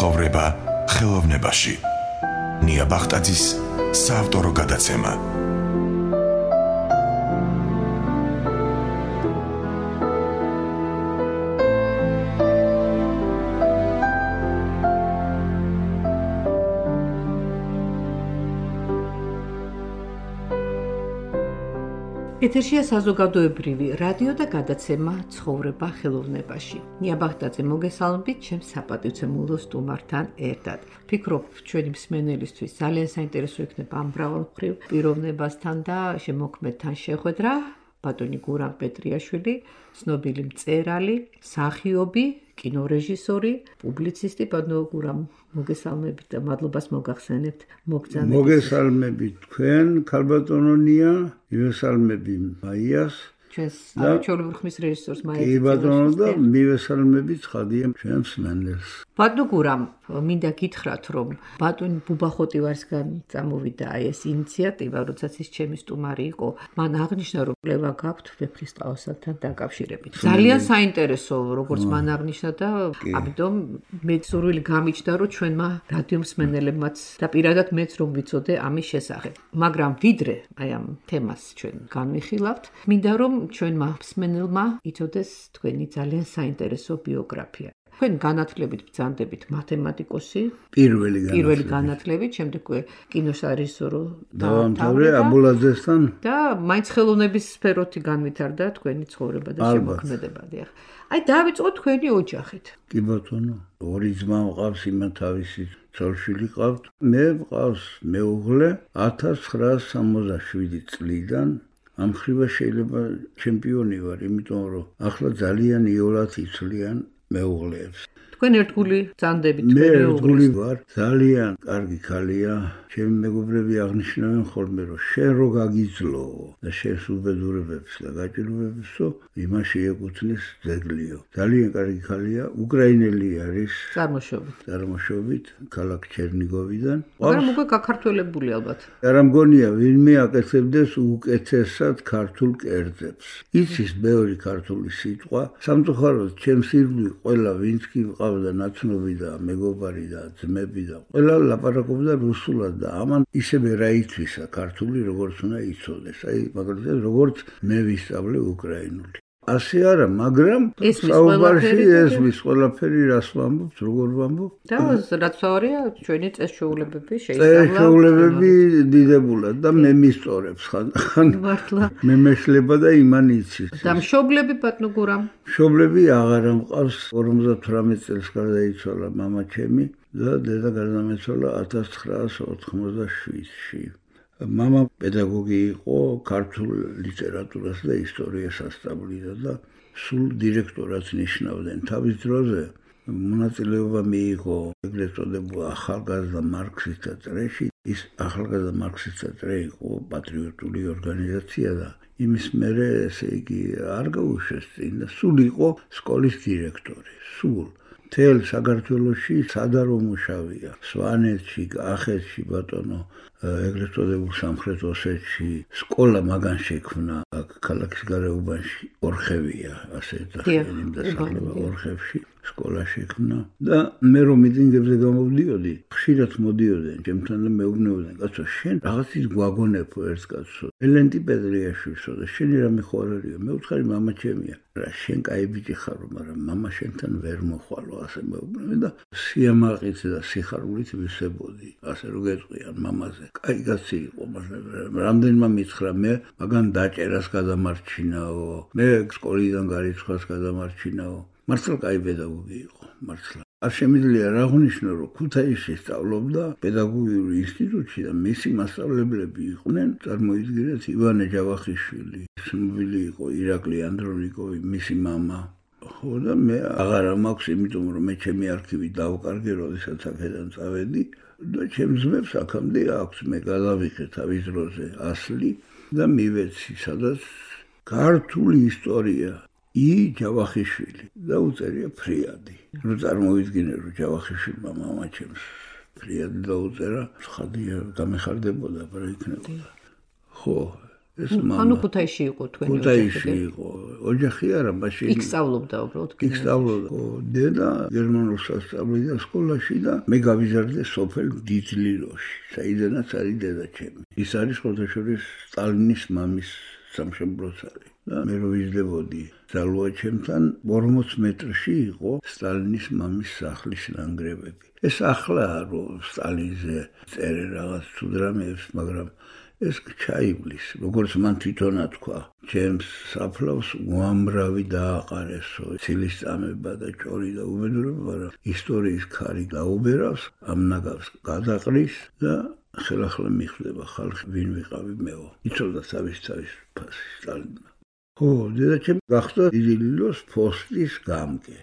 ცხოვრება ხელოვნებაში. ნია ბახტაძის საავტორო გადაცემა. ეთერშია საზოგადოებრივი რადიო და გადაცემა ცხოვრება ხელოვნებაში. ნია ბახტაძე მოგესალმებით ჩემს საპატივცემულო სტუმართან ერთად. ვფიქრობ, ჩვენი მსმენელისთვის ძალიან საინტერესო იქნება ამ მრავალმხრივ პიროვნებასთან და შემოქმედთან შეხვედრა. ბატონი გურამ პეტრიაშვილი, ცნობილი მწერალი, მსახიობი, კინორეჟისორი, პუბლიცისტი. ბატონო გურამ, მოგესალმებით და მადლობას მოგახსენებთ მოგზაურობისთვის. მოგესალმებით თქვენ, ქალბატონო ნია, მივესალმები მაიას. ჩვენს არაჩვეულებრივ ხმის რეჟისორს მაიას. კი ბატონო და მივესალმებით ხადია ჩვენს მენელს. ბატონო გურამ, მინდა გითხრათ, რომ ბატონი ბუბახოტივარსგან წამოვიდა ეს ინიციატივა, როდესაც ის ჩემი სტუმარი იყო. მან აღნიშნა, რომ კვლევა გაქვთ ვეფხისტყაოსანთან დაკავშირებით. ძალიან საინტერესო, როგორც მან აღნიშნა და ამიტომ მე სურვილი გამიჩნდა, რომ ჩვენმა რადიო მსმენელებმაც და პირადად მეც რომ ვიცოდე ამის შესახებ. მაგრამ ვიდრე აი ამ თემას ჩვენ განვიხილავთ, მინდა რომ ჩვენმა მსმენელმა იცოდეს თქვენი ძალიან საინტერესო ბიოგრაფია. თქვენ განათლებით ბრძანდებით მათემატიკოსი, პირველი განათლებით, შემდეგ კინორეჟისორო დავამთავრე აბულაძესთან და მაინც ხელოვნების სფეროთი განვითარდა თქვენი ცხოვრება და შემოქმედება. აი დავიწყოთ თქვენი ოჯახით. კი ბატონო, ორი ძმა მყავს, იმათ თავისი ცოლ-შვილი ყავთ. მე მყავს მეუღლე 1967 წლიდან. ამ ხრივა შეიძლება ჩემპიონი ვარ, იმიტომ რომ ახლა ძალიან იოლად იცვლიან მეუღლეებს. თქვენ ერთგული ბრძანდებით მე ერთგული ვარ, ძალიან კარგი ქალია. ჩემი მეგობრები აღნიშნავენ ხოლმე, რომ შენ რო გაგიძლო და შენს უბედურებებს და გაჭირვებებსო, იმაში ეკუთვნის ძეგლიო. ძალიან კარგი ქალია, უკრაინელი არის, წარმოშობით, ქალაქ ჩერნიგოვიდან. მაგრამ უკვე გაქართველებული ალბათ. არა მგონია, ვინმე აკეთებდეს უკეთესად ქართულ კერძებს. იცის ბევრი ქართული სიტყვა, სამწუხაროდ ჩემს ირგვლივ ყველა ვინც კი მყავდა ნაცნობი და მეგობარი და ძმები და ყველა ლაპარაკობდა რუსულად. და ამან ისევე რა ითვისა ქართული, როგორც უნდა იცოდეს. აი, მაგალითად, როგორც მე ვისწავლე უკრაინული. ასე არა, მაგრამ საუბარში ესმის ყველაფერი, რას ვამბობთ, როგორ ვამბობთ. და რაც ვარია, ჩვენი წესჩვეულებები შეისწავლა. წესჩვეულებები დიდებულად და მე მისწორებს ხან. მართლა. მე მეშლება და იმან იცის. და მშობლები ბატონო გურამ? მშობლები აღარა მყავს, 58 წელს გარდაიცვალა მამა ჩემი. და დედა გარდამეცვალა 1987-ში. მამა პედაგოგი იყო, ქართულ ლიტერატურას და ისტორიას ასწავლიდა და სულ დირექტორად ნიშნავდნენ. თავის დროზე მონაწილეობა მიიღო ეგრეთ წოდებულ ახალგაზრდა მარქსისტთა წრეში. ის ახალგაზრდა მარქსისტთა წრე იყო პატრიოტული ორგანიზაცია და იმის მერე ესე იგი არ გაუშვეს წინ და სულ იყო სკოლის დირექტორი. სულ თელ საქართველოში სადარო მუშავია. სვანეთში, კახეთში, ბატონო, ეგრეთ წოდებულ სამხრეთ ოსეთში სკოლა მაგან შექმნა ქალაქის გარეუბანში. ორხევია, ასე დახეlim და სახლება ორხევში სკოლა შექმნა. და მე რომ მიტინგებზე გამოვდიოდი, ხშირად მოდიოდნენ ჩემთან და მეუბნებოდნენ, კაცო, შენ რაღაცის გვაგონებო ერთ კაცო. ელენტი პეტრიაშვილსო და შენი რამე ხო არ არისო? მე ვთხარი მამა ჩემია. რა შენ კაი ბიჭი ხარო, მაგრამ მამა შენთან ვერ მოხვალო, ასე მეუბნებოდნენ და სიამაყით და სიხარულით ვისებოდი. ასე რომ გეტყვიან მამაზე. კაი კაცი იყო, მაგრამ რამდენმა მითხრა მე მაგან დაჭერას გადამარჩინაო. მე სკოლიდან გარიცხვას გადამარჩინაო. მართლა კაი პედაგოგი იყო, მართლა. არ შემიძლია რა აღნიშნო, რომ ქუთაისში სწავლობდა პედაგოგიური ინსტიტუტში და მისი მასწავლებლები იყვნენ, წარმოიდგინეთ, ივანე ჯავახიშვილი, ცნობილი იყო ირაკლი ანდრონიკოვი, მისი მამა. ხო და მე აღარა მაქვს, იმიტომ რომ მე ჩემი არქივი დავკარგე, როდესაც აქედან წავედი და ჩემს ძმებს აქამდე აქვს, მე გადავიღე თავის დროზე ასლი და მივეცი, სადაც ქართული ისტორია. ჯავახიშვილი და უწერია ფრიადი. რო წარმოვიდგინე, რომ ჯავახიშვილმა მამა ჩემს ფრიადი დაუწერა, ხადია გამეხარდებოდა, რა იქნებოდა. ხო, ეს მამა. ანუ ქუთაისში იყო თქვენი ოჯახი. ქუთაისში იყო. ოჯახი არა, მაშინ იქ სწავლობდა უბრალოდ. იქ სწავლობდა. დედა გერმანულ სასწავლებლო სკოლაში და მე გავიზარდე სოფელ დიდლილოში, საიდანაც არის დედაჩემი. ის არის ხოთაშორის სტალინის მამის სამშობლოს არის. და მე რო ვიზრდებოდი ძალუაჩემთან 40 მეტრში იყო სტალინის მამის სახლის ნანგრევები. ეს ახლა რომ სტალინზე წერე რაღაც თუ დრამებს, მაგრამ ეს ჩაივლის, როგორც მან თვითონ თქვა, ჩემს საფლავს უამრავი დააყარესო, ცილის წამება და ჭორი და უბედურება, მაგრამ ისტორიის ქარი გაუბერავს, ამ ნაგავს გადაყრის და ხელახლა მიხვდება ხალხი, ვინ ვიყავი მეო. იცოდა თავის ფასი სტალინმა. ხო, დედაჩემ გახდა დიდილილოს პოსტის გამგე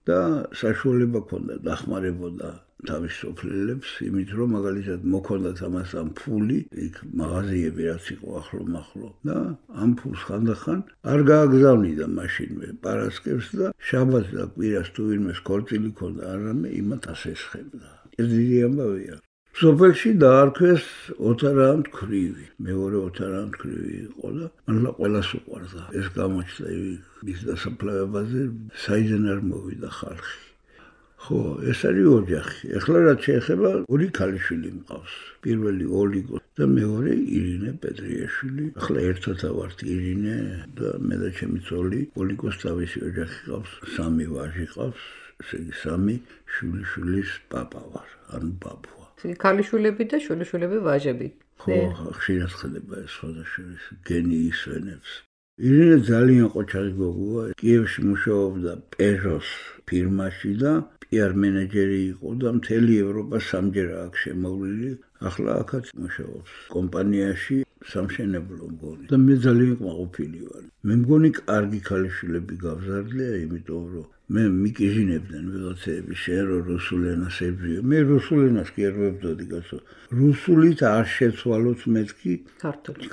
და საშუალება ჰქონდა დახმარებოდა თავის სოფლელებს, იმით რომ მაგალითად მოქონდათ ამასთან ფული, იქ მაღაზიები რაც იყო ახლო-მახლო და ამ ფულს ხანდახან არ გააგზავნიდა მაშინვე პარასკევს და შაბათს და კვირას თუ ვინმეს ქორწილი ჰქონდა არამე იმათ ასესხებდა. ეს დიდი ამბავია. სოფელში დაარქვეს ოთარაამთქრივი, მეორე ოთარაამთქრივი იყო და მართლა ყველას უყვარდა. ეს გამოჩნდა მის დასაფლავებაზე, საიდან არ მოვიდა ხალხი. ხო, ეს არის ოჯახი. ეხლა რაც შეეხება, ორი ქალიშვილი მყავს. პირველი ოლიგო და მეორე ირინე პეტრიაშვილი. ახლა ერთად ავართ ირინე და მე და ჩემი ძოლი, ოლიგოს თავისი ოჯახი ყავს, 3 ვაჟი ყავს, ესე იგი 3 შვილიშვილის პაპა ვარ, ანუ ბაბუა. ქალიშვილები და შვილიშვილები ვაჟები. ხო, ხშირად ხდება ეს სხვადასხვა გენი ისვენებს. ირინე ძალიან ყოჩაღი გოგოა, კიევში მუშაობდა პეჟოს ფირმაში და PR მენეჯერი იყო და მთელი ევროპა სამჯერ აქ შემოვლილი. ახლა აქაც მუშაობს კომპანიაში სამშენებლო მგონი. და მე ძალიან კმაყოფილი ვარ. მე მგონი კარგი ქალიშვილები გავზარდლია, იმიტომ რომ მე მიკიჟინებდნენ ვიღაცები შენ რო რუსულ ენას ებრძვიო. მე რუსულ ენას კი არ ვებრძოდი კაცო. რუსულით არ შეცვალოთ მეთქი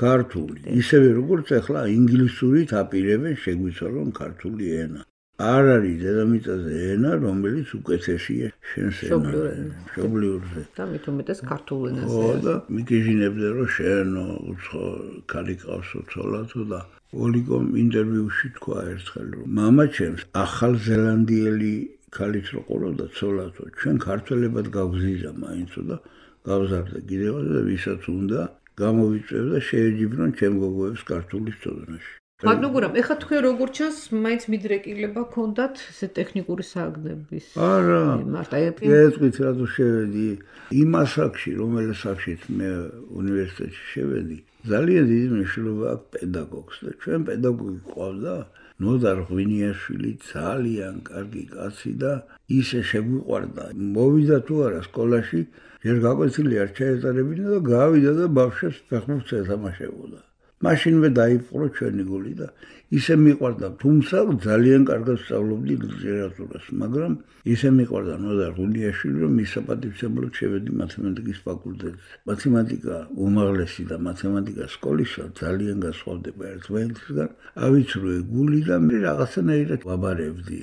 ქართული. ისევე როგორც ახლა ინგლისურით აპირებენ შეგვიცვალონ ქართული ენა. არ არის დედამიწაზე ენა, რომელიც უკეთესია შენს მშობლიურზე. და მით უმეტეს ქართულ ენაზე. ხო, და მიკიჟინებდნენ რომ შენო უცხო ქალი ყავსო ცოლათო და ოლიგომ ინტერვიუში თქვა ერთხელ რომ მამა ჩემს ახალ ზელანდიელი ქალიც რო ყოლოდა ცოლათო, ჩვენ ქართველებად გავგზიზა მაინცო და გავზარდა კიდევ და ვისაც უნდა გამოვიწევ და შეეჯიბრონ ჩემ გოგოებს ქართულის წოდნაში. ბატონო გურამ, ეხლა თქვენ როგორ ჩანს, მაინც მიდრეკილება ქონდათ ესე ტექნიკური სააგნების. არა. მარტო ეთქვით რატო შევედი იმ ასაკში, რომელიც ასაკშიც მე უნივერსიტეტში შევედი. ძალიან დიდი მნიშვნელობა აქვს პედაგოგს და ჩვენ პედაგოგი ყავდა ნოდარ ღვინიაშვილი ძალიან კარგი კაცი და ისე შეგვიყვარდა. მოვიდა თუ არა სკოლაში, ჯერ გაკვეთილი არ ჩაეტარებინა და გავიდა და ბავშვებს ფეხბურთს ეთამაშებოდა. მაშინვე დაიპყრო ჩვენი გული და ისე მიყვარდა, თუმცა ძალიან კარგად სწავლობდი ლიტერატურას, მაგრამ ისე მიყვარდა ნოდარ ღვინიაშვილი, რომ მის საპატივცემლოდ შევედი მათემატიკის ფაკულტეტზე. მათემატიკა უმაღლესი და მათემატიკა სკოლისა ძალიან განსხვავდება ერთმანეთისგან. ავიცრუე გული და მე რაღაცნაირად ვაბარებდი.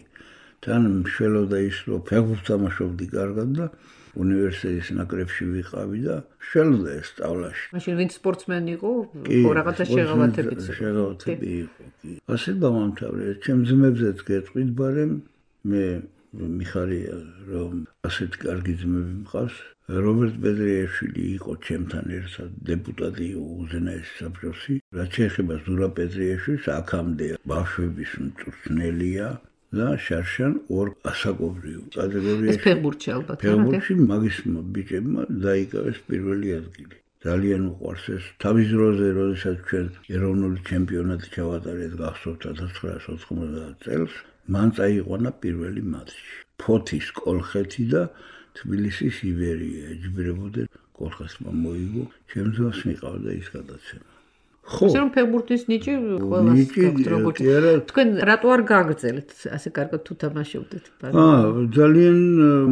თან მშველოდა ის, რომ ფეხბურთს თამაშობდი კარგად და უნივერსიტეტის ნაკრებში ვიყავი და შელოდა ეს სწავლაში. მაშინ ვინც სპორტსმენი იყო, ხო რაღაცა შეღავათები იყო. ასე დავამთავრე. ჩემ ძმებზეც გეტყვით, ბარემ მე მიხარია რომ ასეთი კარგი ძმები მყავს. რობერტ პეტრიაშვილი იყო ჩემთან ერთად დეპუტატი უზენაესი საბჭოში. რაც შეეხება ზურაბ პეტრიაშვილს, აქამდე ბავშვების მწვრთნელია. და შარშან ორ ასაკობრივ კატეგორიაში ეს ფეხბურთში ალბათ ფეხბურთში მაგის ბიჭებმა დაიკავეს პირველი ადგილი. ძალიან უყვარს ეს. თავის დროზე, როდესაც ჩვენ ეროვნული ჩემპიონატი ჩავატარეთ გახსოვთ 1990 წელს, მან წაიყვანა პირველი მატჩი. ფოთის კოლხეთი და თბილისის ივერია ეჯიბრებოდნენ. კოლხეთმა მოიგო, ჩემს ძმას მიყავდა ის გადაცემა. ხო, რომ ფეხბურთის ნიჭი ყველას გაქვთ როგორც. თქვენ რატო არ გააგრძელეთ ასე კარგად თუ თამაშობდით? ძალიან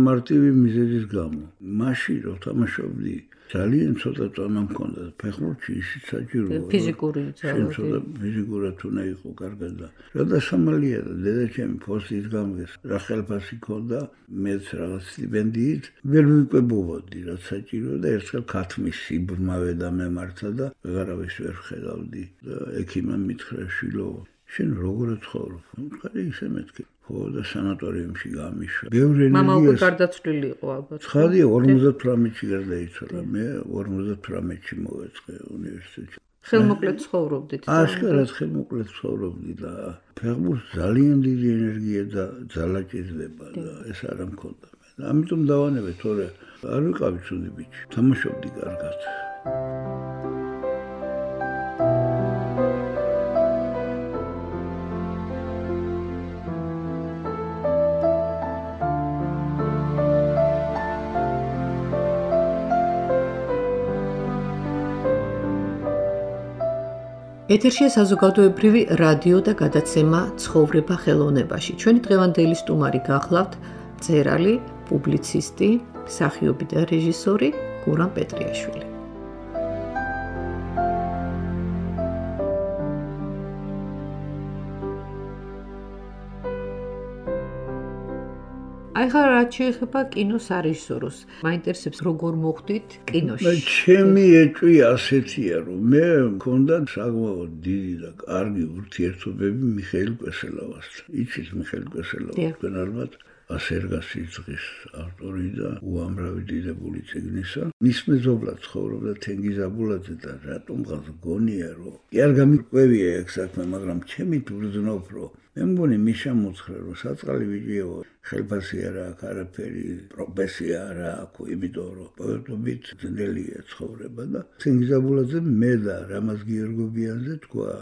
მარტივი მიზეზის გამო. მაშინ რომ თამაშობდი ძალიან ცოტა წონა მქონდა ფეხბურთში ისიც საჭიროა ფიზიკური ძალიან ცოტა ფიზიკურად უნდა იყო კარგად და რადა სამალია და დედაჩემი ფოსტით გამგეს რა ხელფასი ქონდა მეც რაღაც სტიპენდიით ვერ ვიკვებოვოდი რაც საჭირო და ერთხელ ქათმის სიბრმავე და მემართა და ვეღარავის ვერ ხედავდი და ექიმმა მითხრა შვილო შენ როგორ ცხოვრობ? ხარი ისე მეთქი. ხო და სანატორიუმში გამიშვა. ბევრი ენერგია. მამა უკვე გარდაცვლილი იყო ალბათ. ცხადია 58-ში გარდაიცვალა. მე 58-ში მოვეწყე უნივერსიტეტში. ხელმოკლედ ცხოვრობდით. აშკარად ხელმოკლედ ცხოვრობდი და ფეხბურთს ძალიან დიდი ენერგია და ძალა ჭირდება და ეს არ მქონდა. ამიტომ დავანებე თორე არ ვიყავი ცუდი ბიჭი. თამაშობდი კარგად. ეთერშია საზოგადოებრივი რადიო და გადაცემა ცხოვრება ხელოვნებაში. ჩვენი დღევანდელი სტუმარი გახლავთ მწერალი, პუბლიცისტი, მსახიობი და რეჟისორი გურამ პეტრიაშვილი. ახლა რაც შეეხება კინოს სარეჟისოროს, მაინტერესებს როგორ მოხვდით კინოში? ჩემი ეჭვი ასეთია, რომ მე მქონდა საკმაოდ დიდი და კარგი ურთიერთობები მიხეილ კვესელავასთან. იცით მიხეილ კვესელავა, თქვენ ალბათ ასერგას სიძღის ავტორი და უამრავი დიდებული წიგნისა. მის მეზობლად ცხოვრობდა თენგიზ აბულაძე და რატომღაც გონია, რომ კი არ გამიკვევია ეგ საქმე, მაგრამ ჩემი ბრძნობ, რომ მე მგონი მიშა მოცხრა, რომ საწყალი ბიჭიო, ხელფასი არა აქვს, არაფერი, პროფესია არა აქვს, იმიტომ რომ პოეტობით ძნელია ცხოვრება და თენგიზ აბულაძე მე და რამაზ გიორგობიანზე თქვა,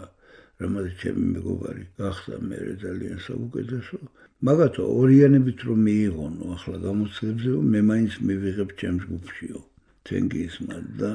რამაზ ჩემი მეგობარი გახდა მე ძალიან საუკეთესო. მაგათო ორიანებით რომ მიიღონო ახლა გამოცდილებზე, მე მაინც მივიღებ ჩემს ჯგუფშიო. თენგიზმა და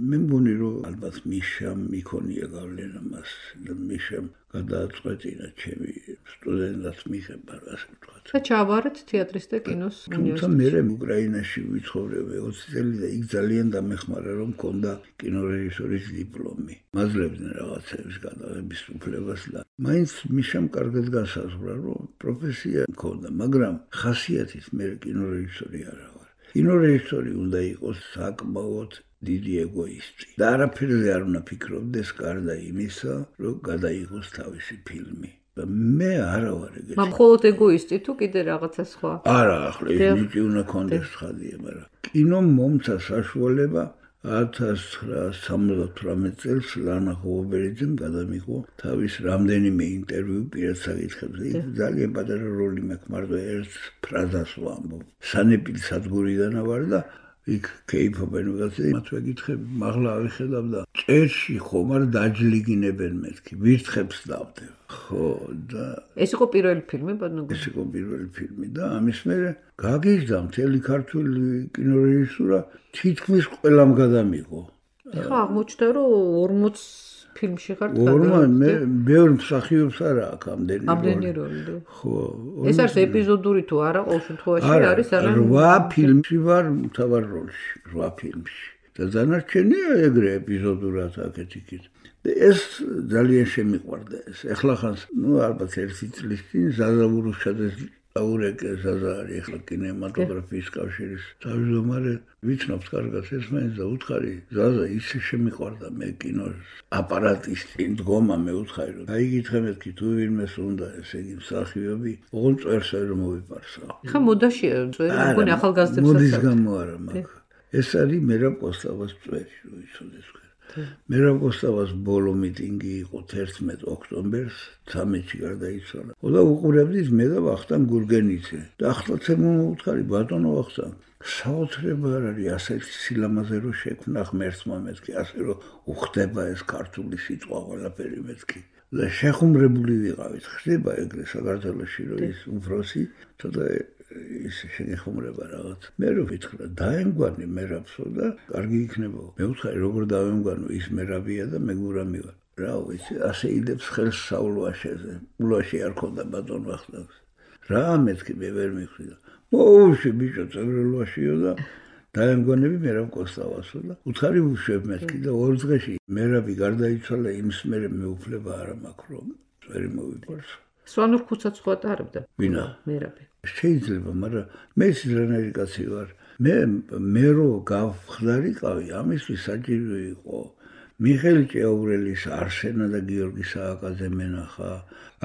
მე მგონი რომ ალბათ მიშამ იქონია გავლენა მას და მიშამ გადააწყვეტინა ჩემი სტუდენტად მიღება, ასე ვთქვათ. და ჩავარეთ თეატრის და კინოს უნივერსიტეტში. მე უკრაინაში ვიცხოვრები 20 წელი და იქ ძალიან დამეხმარა რომ მქონდა კინორეჟისორის დიპლომი. მაძლევდნენ რაღაცების გადაღების უფლებას და მაინც მიშამ კარგად გასაზღვრა რომ პროფესია მქონდა, მაგრამ ხასიათით მე კინორეჟისორი არა ვარ. კინორეჟისორი უნდა იყოს საკმაოდ დიდი ეგოისტი და არაფერზე არ უნდა ფიქრობდეს გარდა იმისა, რომ გადაიღოს თავისი ფილმი. მე არა ვარ ეგეთი. მხოლოდ ეგოისტი თუ კიდე რაღაცა სხვა? არა, ახლა ის ნიჭი უნდა კონდეს ხადია, მაგრამ კინომ მომცა საშუალება 1978 წელს ლანა ხობერიძემ გადამიღო თავის რამდენიმე ინტერვიუ პირად საკითხებზე. ძალიან პატარა როლი მაქვს, მარტო ერთ ფრაზას ვამბობ. სანეპილი სადგურიდან ვარ და იქ კეიფობენ ვიღაცა, მათ ვეკითხები, მაღლა ავიხედავ და წერში ხომ არ დაჯლიგინებენ მეთქი, ვირთხებს დავდებ. ხო და ეს იყო პირველი ფილმი ბოდნოგო? ეს იყო პირველი ფილმი და ამის მერე გაგიჟდა მთელი ქართული კინორეჟისურა თითქმის ყველამ გადამიღო. ხა აღმოჩნდა რომ 40 ფილმში ხარ მე ბევრ მსახიობს არა აქვს ამდენი როლი. ხო. ეს არის ეპიზოდური თუ არა, ყოველ შემთხვევაში არის არა? 8 ფილმში ვარ მთავარ როლში, 8 ფილმში. და დანარჩენია ეგრე ეპიზოდურად აქეთ-იქით. ეს ძალიან შემიყვარდა ეს. ეხლა ხანს, ალბათ ერთი წლის წინ ზაზა ურუშაძეს დაურეკე, ზაზა არის ეხლა კინემატოგრაფიის კავშირის თავმჯდომარე, ვიცნობთ კარგად ეს მაინც და უთხარი, ზაზა ისე შემიყვარდა მე კინოს აპარატის წინ დგომა, მე უთხარი რომ აიგითხე მეთქი თუ ვინმეს უნდა ესე იგი მსახიობი, ოღონ წერს რომ მოვიპარსა. ხა მოდაშია წვერი, მგონი ახალგაზრდებსაც. მოდის გამო არა მაგ. ეს არის მერაბ კოსტავას წვერი, რომ იცოდეს. მერაბ კოსტავას ბოლო მიტინგი იყო 11 ოქტომბერს 13-ში გარდაიცვალა. და უყურებდით მე და ვახტანგ გურგენიძე. და ახლაც მოვუთხარი ბატონო ვახტანგ, საოცრება არ არის ასეთი სილამაზე რომ შექმნა ღმერთმა მეთქი, ასე რომ უხდება ეს ქართული სიტყვა ყველაფერი მეთქი. და შეხუმრებული ვიყავით. ხდება ეგრე საქართველოში რომ ის უფროსი ცოტა ის შეგეხუმრება რაღაც. მე რო ვიტყვა დაემგვანი მერაბსო და კარგი იქნება. მე ვუთხარი როგორ დავემგვანო, ის მერაბია და მე გურამი ვარ. რა ვიცი, ასე იდებს ხელს საულვაშეზე. ულვაში არ ქონდა ბატონ ვახტანგს. რა მეთქი მე ვერ მიხვიდა. მოუში ბიჭო წევრელვაშიო და დაემგონები მერაბ კოსტავასო და უთხარი უშვებ მეთქი და ორ დღეში მერაბი გარდაიცვალა იმის მერე მეუფლება არა მაქვს რომ ვერ მოვიყვარს. სვანურ ქუცაც ხო ატარებდა? ვინა? მერაბი. შეიძლება, მაგრამ მე სიზრანელი კაცი ვარ. მე რო გავხდარიყავი, ამისთვის საჭირო იყო მიხეილ ჭეაურელის, არსენა და გიორგი სააკაძე მენახა.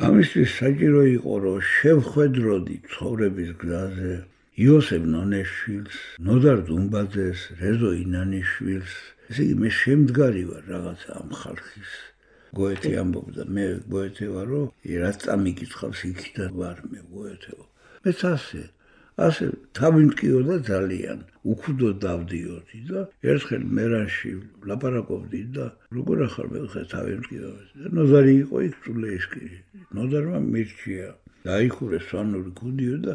ამისთვის საჭირო იყო რომ შევხვედროდი ცხოვრების გზაზე იოსებ ნონეშვილს, ნოდარ დუმბაძეს, რეზო ინანიშვილს. ესე იგი მე შემდგარი ვარ რაღაცა ამ ხალხის. გოეთე ამბობდა, მე გოეთე ვარ, რომ რაც წამიკითხავს იქიდან ვარ მე გოეთეო. მეც ასე თავი მტკიოდა ძალიან, უქუდო დავდიოდი და ერთხელ მერანში ლაპარაკობდი და როგორ ახალ მე ხე თავი მტკიოდა. ნოზარი იყო იქ წულეისკი. ნოდარმა მირჩია. დაიხურეს სვანური ქუდიო და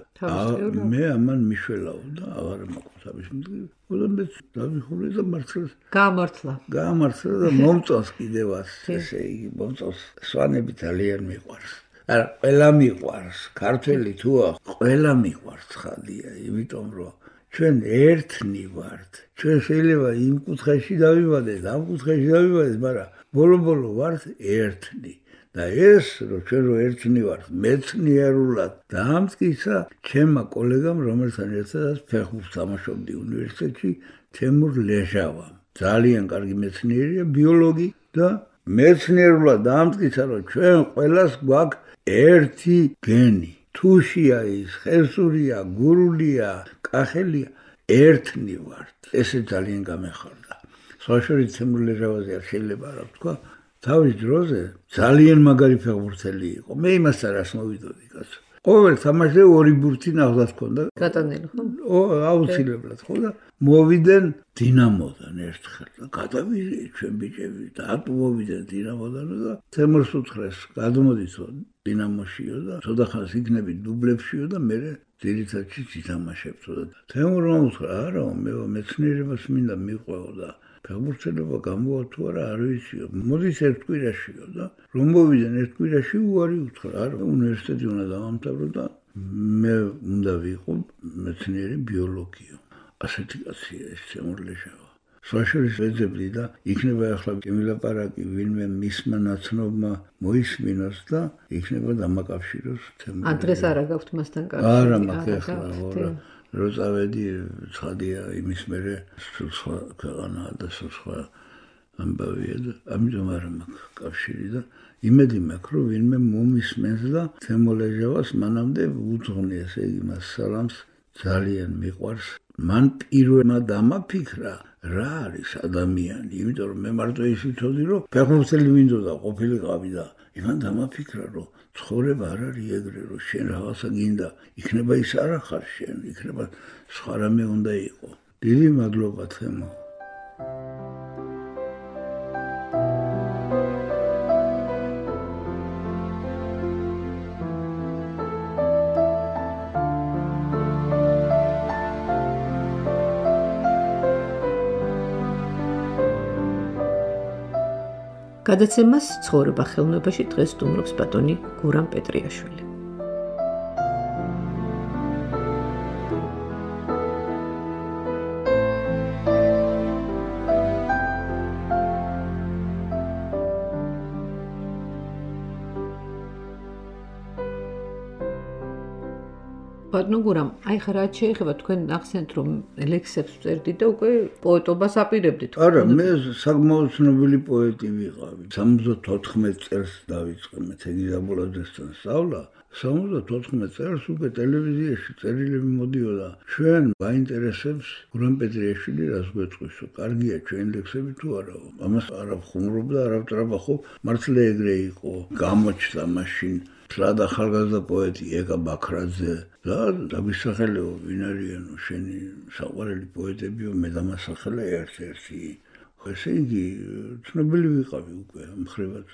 მე ამან მიშველაო და აღარ მაქვს თავის მტკივა. ოდომეც დაიხურე და მართლაც გაამართლა და მომწონს კიდევაც ესე იგი მომწონს სვანები ძალიან მიყვარს. არა ყველა მიყვარს, ქართველი თუა ყველა მიყვარს ხალია, იმიტომ რომ ჩვენ ერთნი ვართ. ჩვენ შეიძლება იმ კუთხეში დავიბადეთ, ამ კუთხეში დავიბადეთ, მაგრამ ბოლო ვართ ერთნი. და ეს რომ ჩვენ ერთნი ვართ, მეცნიერულად დაამტკიცა ჩემმა კოლეგამ, რომელთან ერთად ფეხბურთს თამაშობდი უნივერსიტეტში, თემურ ლეჟავამ. ძალიან კარგი მეცნიერია, ბიოლოგი და მეცნიერულად დაამტკიცა, რომ ჩვენ ყველას გვაქვს ერთი გენი. თუშია ის, ხევსურია, გურულია, კახელია, ერთნი ვართ. ესე ძალიან გამეხარდა. საშუალო თემურ ლეჟავაზე არ შეიძლება რა ვთქვა. თავის დროზე ძალიან მაგარი ფეხბურთელი იყო. მე იმასთან რას მოვიდოდი კაცო. ყოველ თამაშზე ორი ბურთი ნახდას ქონდა. გატანილი ხო? აუცილებლად ხო და მოვიდნენ დინამოდან ერთხელ და გადავიდე ჩვენ ბიჭები და ატმოვიდნენ დინამოდან და თემურს უთხრეს გადმოდიცო დინამოშიო და ცოტა ხანს იქნები დუბლებშიო და მე ძირითადში ითამაშებთო და თემურმა უთხრა არა მე მეცნიერებას მინდა მიყვეო და ფეხბურთელობა გამოვა თუ არა არ ვიციო. მოდის ერთ კვირაშიო და რომ მოვიდნენ ერთ კვირაში უარი უთხრა. არა, უნივერსიტეტი უნდა დავამთავრო და მე უნდა ვიყო მეცნიერი ბიოლოგიო. ასეთი კაცია ეს თემურ ლეჟავა. საშუალო შეძებდი და იქნება ახლა კემილაპარაკი ვინმე მისმა ნაცნობმა მოისმინოს და იქნება დამაკავშიროს თემურ. ადრეს არა გაქვთ მასთან კავშირი? არა, მაგ ახლა რა. რო წავედი ცხადია იმის მერე სულ სხვა ქვეყანაა და სულ სხვა ამბავია და ამიტომ არ მაქვს კავშირი და იმედი მაქვს რომ ვინმე მომისმენს და თემურ ლეჟავას მანამდე უძღვნი ესე იგი მას სალამს ძალიან მიყვარს. მან პირველმა დამაფიქრა რა არის ადამიანი, იმიტომ რომ მე მარტო ის ვიცოდი რომ ფეხბურთელი მინდოდა ყოფილიყავი და იმან დამაფიქრა რომ ცხოვრება არ არის ეგრე რომ შენ რაღაცა გინდა, იქნება ის არ ახარ შენ, იქნება სხვა რამე უნდა იყო. დიდი მადლობა თემო. გადაცემას ცხოვრება ხელოვნებაში დღეს სტუმრობს ბატონი გურამ პეტრიაშვილი. ბატონო გურამ, აი ხა რაც შეეხება თქვენ ახსენთ რომ ლექსებს წერდით და უკვე პოეტობას აპირებდით. არა, მე საკმაოდ ცნობილი პოეტი ვიყავი. 74 წელს დავიწყე მე თეგიზაბულაძესთან სწავლა. 74 წელს უკვე ტელევიზიაში წერილები მოდიოდა. ჩვენ გვაინტერესებს გურამ პეტრიაშვილი რას გვეწყვისო. კარგია ჩვენ ლექსები თუ არაო. ამას არ ვხუმრობდა, არ ვტრაბახო. მართლა ეგრე იყო. გამოჩნდა მაშინ სლადა ახალგაზრდა პოეტი ეკა ბაქრაძე და დაგვისახელეო ვინ არიანო შენი საყვარელი პოეტებიო მე დამასახელე ერთ-ერთი. ესე იგი ცნობილი ვიყავი უკვე ამხრივად.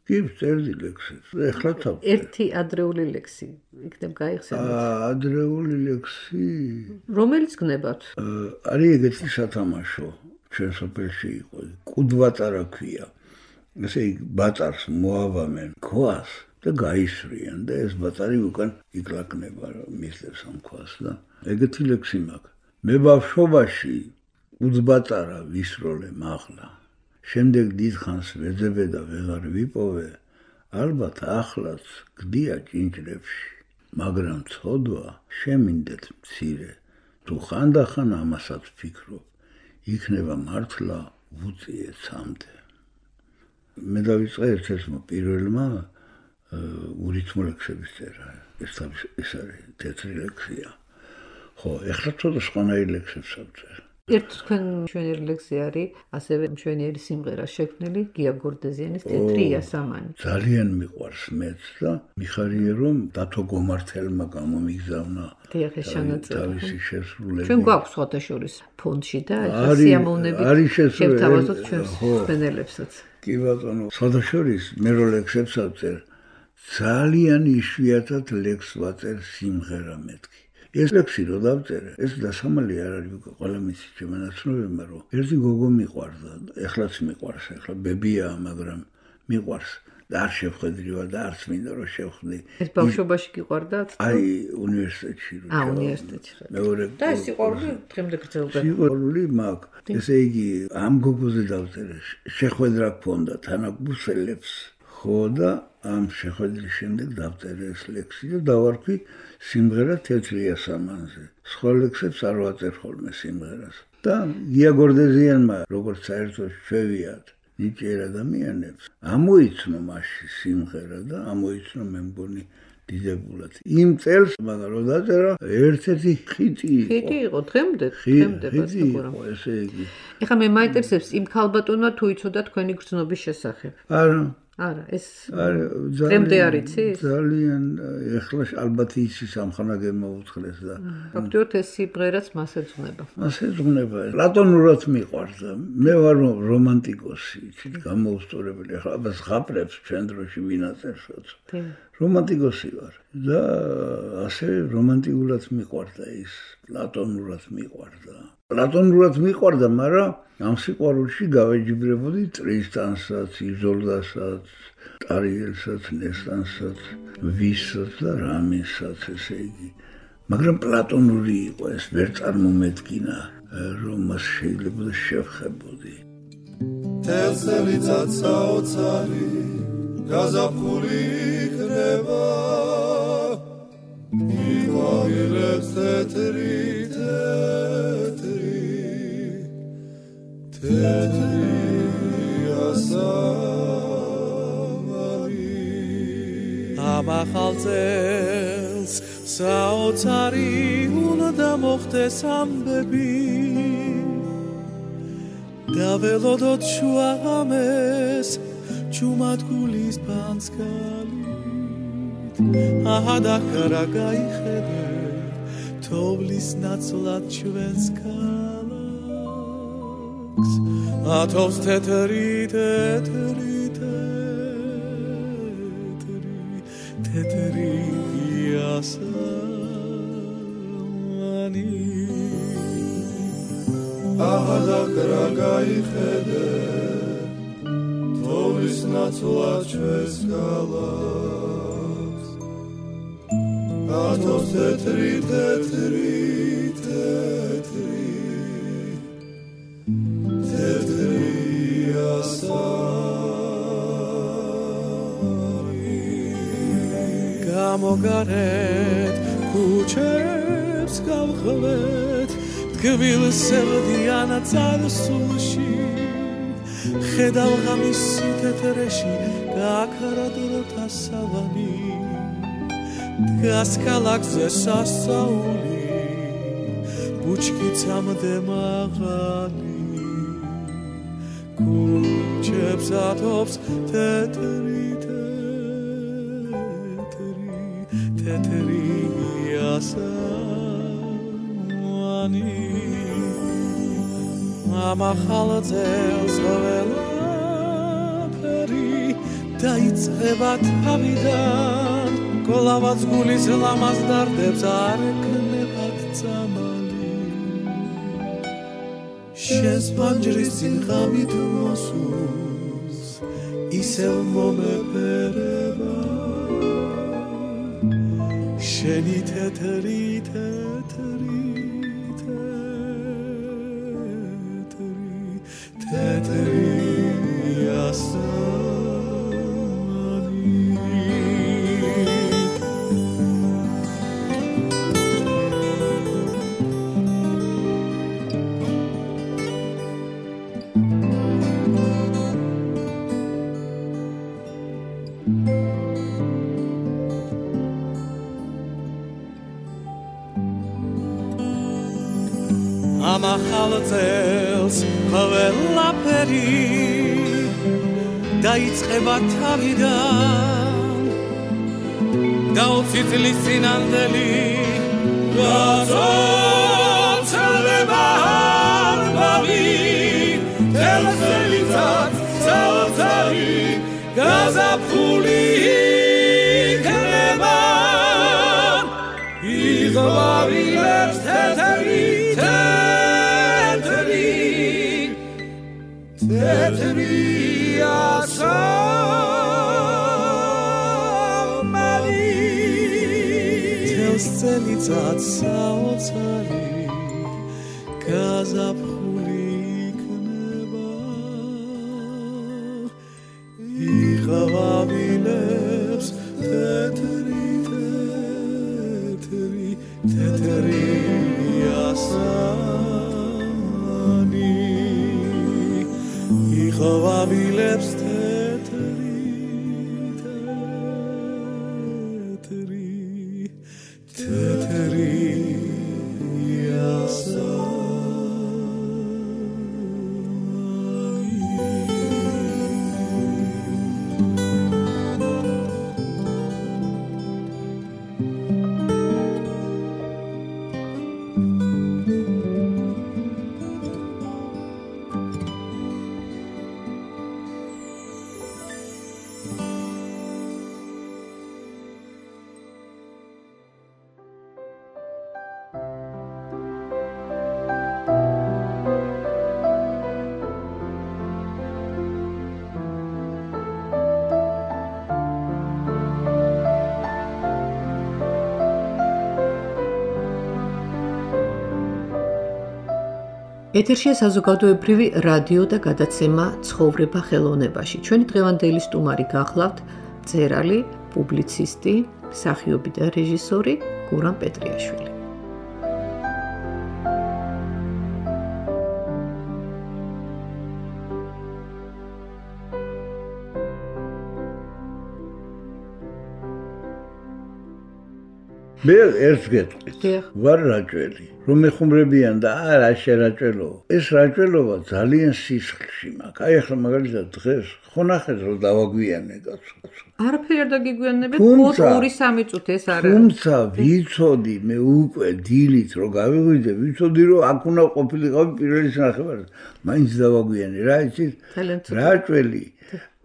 კი წერდი ლექსებს. ეხლა ერთი ადრეული ლექსი იქნებ გაიხსენოთ. ადრეული ლექსი რომელიც გნებათ? არის ეგეთი სათამაშო ჩვენ სოფელში იყო. კუდვატარა ქვია. ესე იგი ბაწარს მოავამენ ქვას და გაისვრიან და ეს ბაწარი უკან იკლაკნება, მისლებს ამ ქვას და ეგეთი ლექსი მაქვს. მე ბავშვობაში უძბაწარა ვისროლე მაღლა. შემდეგ დიდხანს ვეძებე და ვეღარ ვიპოვე, ალბათ ახლაც გდია ჭინჭრებში, მაგრამ ცოდვა შემინდეთ მცირე, თუ ხანდახან ამასაც ვფიქრობ, იქნება მართლა ვუწიე ცამდე. მე დავიწყე ერთ-ერთმა პირველმა ურითმო ლექსების წერა. ეს არის თეთრი ლექსია. ხო, ეხლა ცოტა სხვანაირი ლექსებს ავწერ. ერთ თქვენ მშვენიერი ლექსი არის, ასევე მშვენიერი სიმღერა შექმნილი გია გორდეზიანის თეთრი იასამანი. ძალიან მიყვარს მეც და მიხარია რომ დათო გომართელმა გამომიგზავნა თავისი შესრულება. ჩვენ გვაქვს სხვადასხვა ფონდში და სიამოვნებით შევთავაზოთ ჩვენს მშვენილებსაც. კი ბატონო, სხვადასხვა მე რო ლექსებს ავწერ, ძალიან იშვიათად ლექს ვაწერ სიმღერა მეთქი. ეს ლექსი რო დავწერე, ეს დასამალი არ არის ყველა მისი შემონაცნობება, რომ ერთი გოგო მიყვარდა, ეხლაც მიყვარს, ეხლა ბებია, მაგრამ მიყვარს და არ შევხედრივა და არც მინდა რომ შევხვდი. ეს ბავშვობაში გიყვარდათ? აი, უნივერსიტეტში რო. უნივერსიტეტში. მეორე და ეს სიყვარული დღემდე გრძელდება. სიყვარული მაქვს. ესე იგი, ამ გოგოზე დავწერე, შეხვედრა გქონდა თანაგბუსელებს. ხო და ამ შეხვედრის შემდეგ დავწერე ეს ლექსი და დავარქვი სიმღერა თეთრი იასამანზე. სხვა ლექსებს არ ვაწერ ხოლმე სიმღერას. და გია გორდეზიანმა, როგორც საერთოდ შევიათ ნიჭიერ ადამიანებს, ამოიცნო მასში სიმღერა და ამოიცნო მე მგონი დიდებულად. იმ წელს მაგრამ რო დაწერა, ერთ-ერთი ხიტი იყო დღემდე იყო, ესე იგი. ეხლა მე მაინტერესებს იმ ქალბატონმა თუ იცოდა თქვენი გრძნობის შესახებ. არა, ეს დღემდე არ იცის? ძალიან, ეხლა ალბათ იცის ამხანა გემოუთხლეს და ფაქტობრივად ეს სიმღერაც მას ეძღვნება. მას ეძღვნება. პლატონურად მიყვარდა. მე ვარ რომანტიკოსი, გამოუსწორებელი. ეხლა აბა ზღაპრებს ჩვენ დროში ვინაწერსოც. რომანტიკოსი ვარ და ასე რომანტიკულად მიყვარდა ის, პლატონურად მიყვარდა. პლატონურად მიყვარდა, მაგრამ ამ სიყვარულში გავეჯიბრებოდი ტრისტანსაც, იზოლდასაც, ტარიელსაც, ნესტანსაც, ვისაც და რამესაც, ესე იგი. მაგრამ პლატონური იყო ეს, ვერ წარმომედგინა, რომ მას შეიძლება შევხებოდი. თელსელიცაც საოცარი გაზაფხული იქნება, იყვავილებს თეთრი ამახალ წელს საოცარი უნდა მოხდეს ამბები და ველოდოთ შუაღამეს ჩუმად გულის პანსკალით აჰა და ხარა გაიხედე თოვლის ნაცვლად ჩვენს ქალაქს ათოვს თეთრი იასამანი აჰა და ხარა გაიხედე თოვლის ნაცვლად ჩვენს ქალაქს ათოვს თეთრი გამოგარეთ ქუჩებს გავხლეთ თკვილსებდიან წარსულში ხედავ ღამისი თეთრეში გაქრა დროთა სავანი დგას ქალაქზე სასაული ბუჩქიცამდე მაღალი ქუჩებს ათობს თეთრი იასამანი ამახალ წელს ყველაფერი დაიწყება თავიდან გოლავაც გულის ლამაზ დარდებს არ ეკნებათ წამალი შენს პანჯრის წინ ღამით მოსულს ისევ მომეფერება შენი თეთრი თეთრი ასამანი ამახალ წელს ყველაფერი დაიწყება თავიდან გაუცი წლის წინანდელი გაწოლდება არბავი თელსელიცად საოცარი გაზაფხული იქნება იღბავილებს თეთრი თეთრი ასამანი თელსელიცად საოცარი გაზაფხული იქნება იღბავილებს თეთრი ასამანი იღბავილებს თეთრი ეთერშია საზოგადოებრივი რადიო და გადაცემა ცხოვრება ხელოვნებაში. ჩვენი დღევანდელი სტუმარი გახლავთ მწერალი, პუბლიცისტი, მსახიობი და რეჟისორი გურამ პეტრიაშვილი. მე ერთს გეტყვით, ვარ რაჭველი, რომ ეხუმრებიან და არა შერაჭველო. ეს რაჭველობა ძალიან სისხლში მაქვს. აი ახლა მაგალითად დღეს ხო ნახეთ რომ დავაგვიანე კაცო. არაფერი არ დაგიგვიანებთ, მხოლოდ 2-3 წუთი ეს არა. თუმცა ვიცოდი მე უკვე დილით რომ გავიღვიდე, ვიცოდი რომ აქ უნდა ყოფილიყავი პირველი ნახევარი. მაინც დავაგვიანე, რა იცით? რაჭველი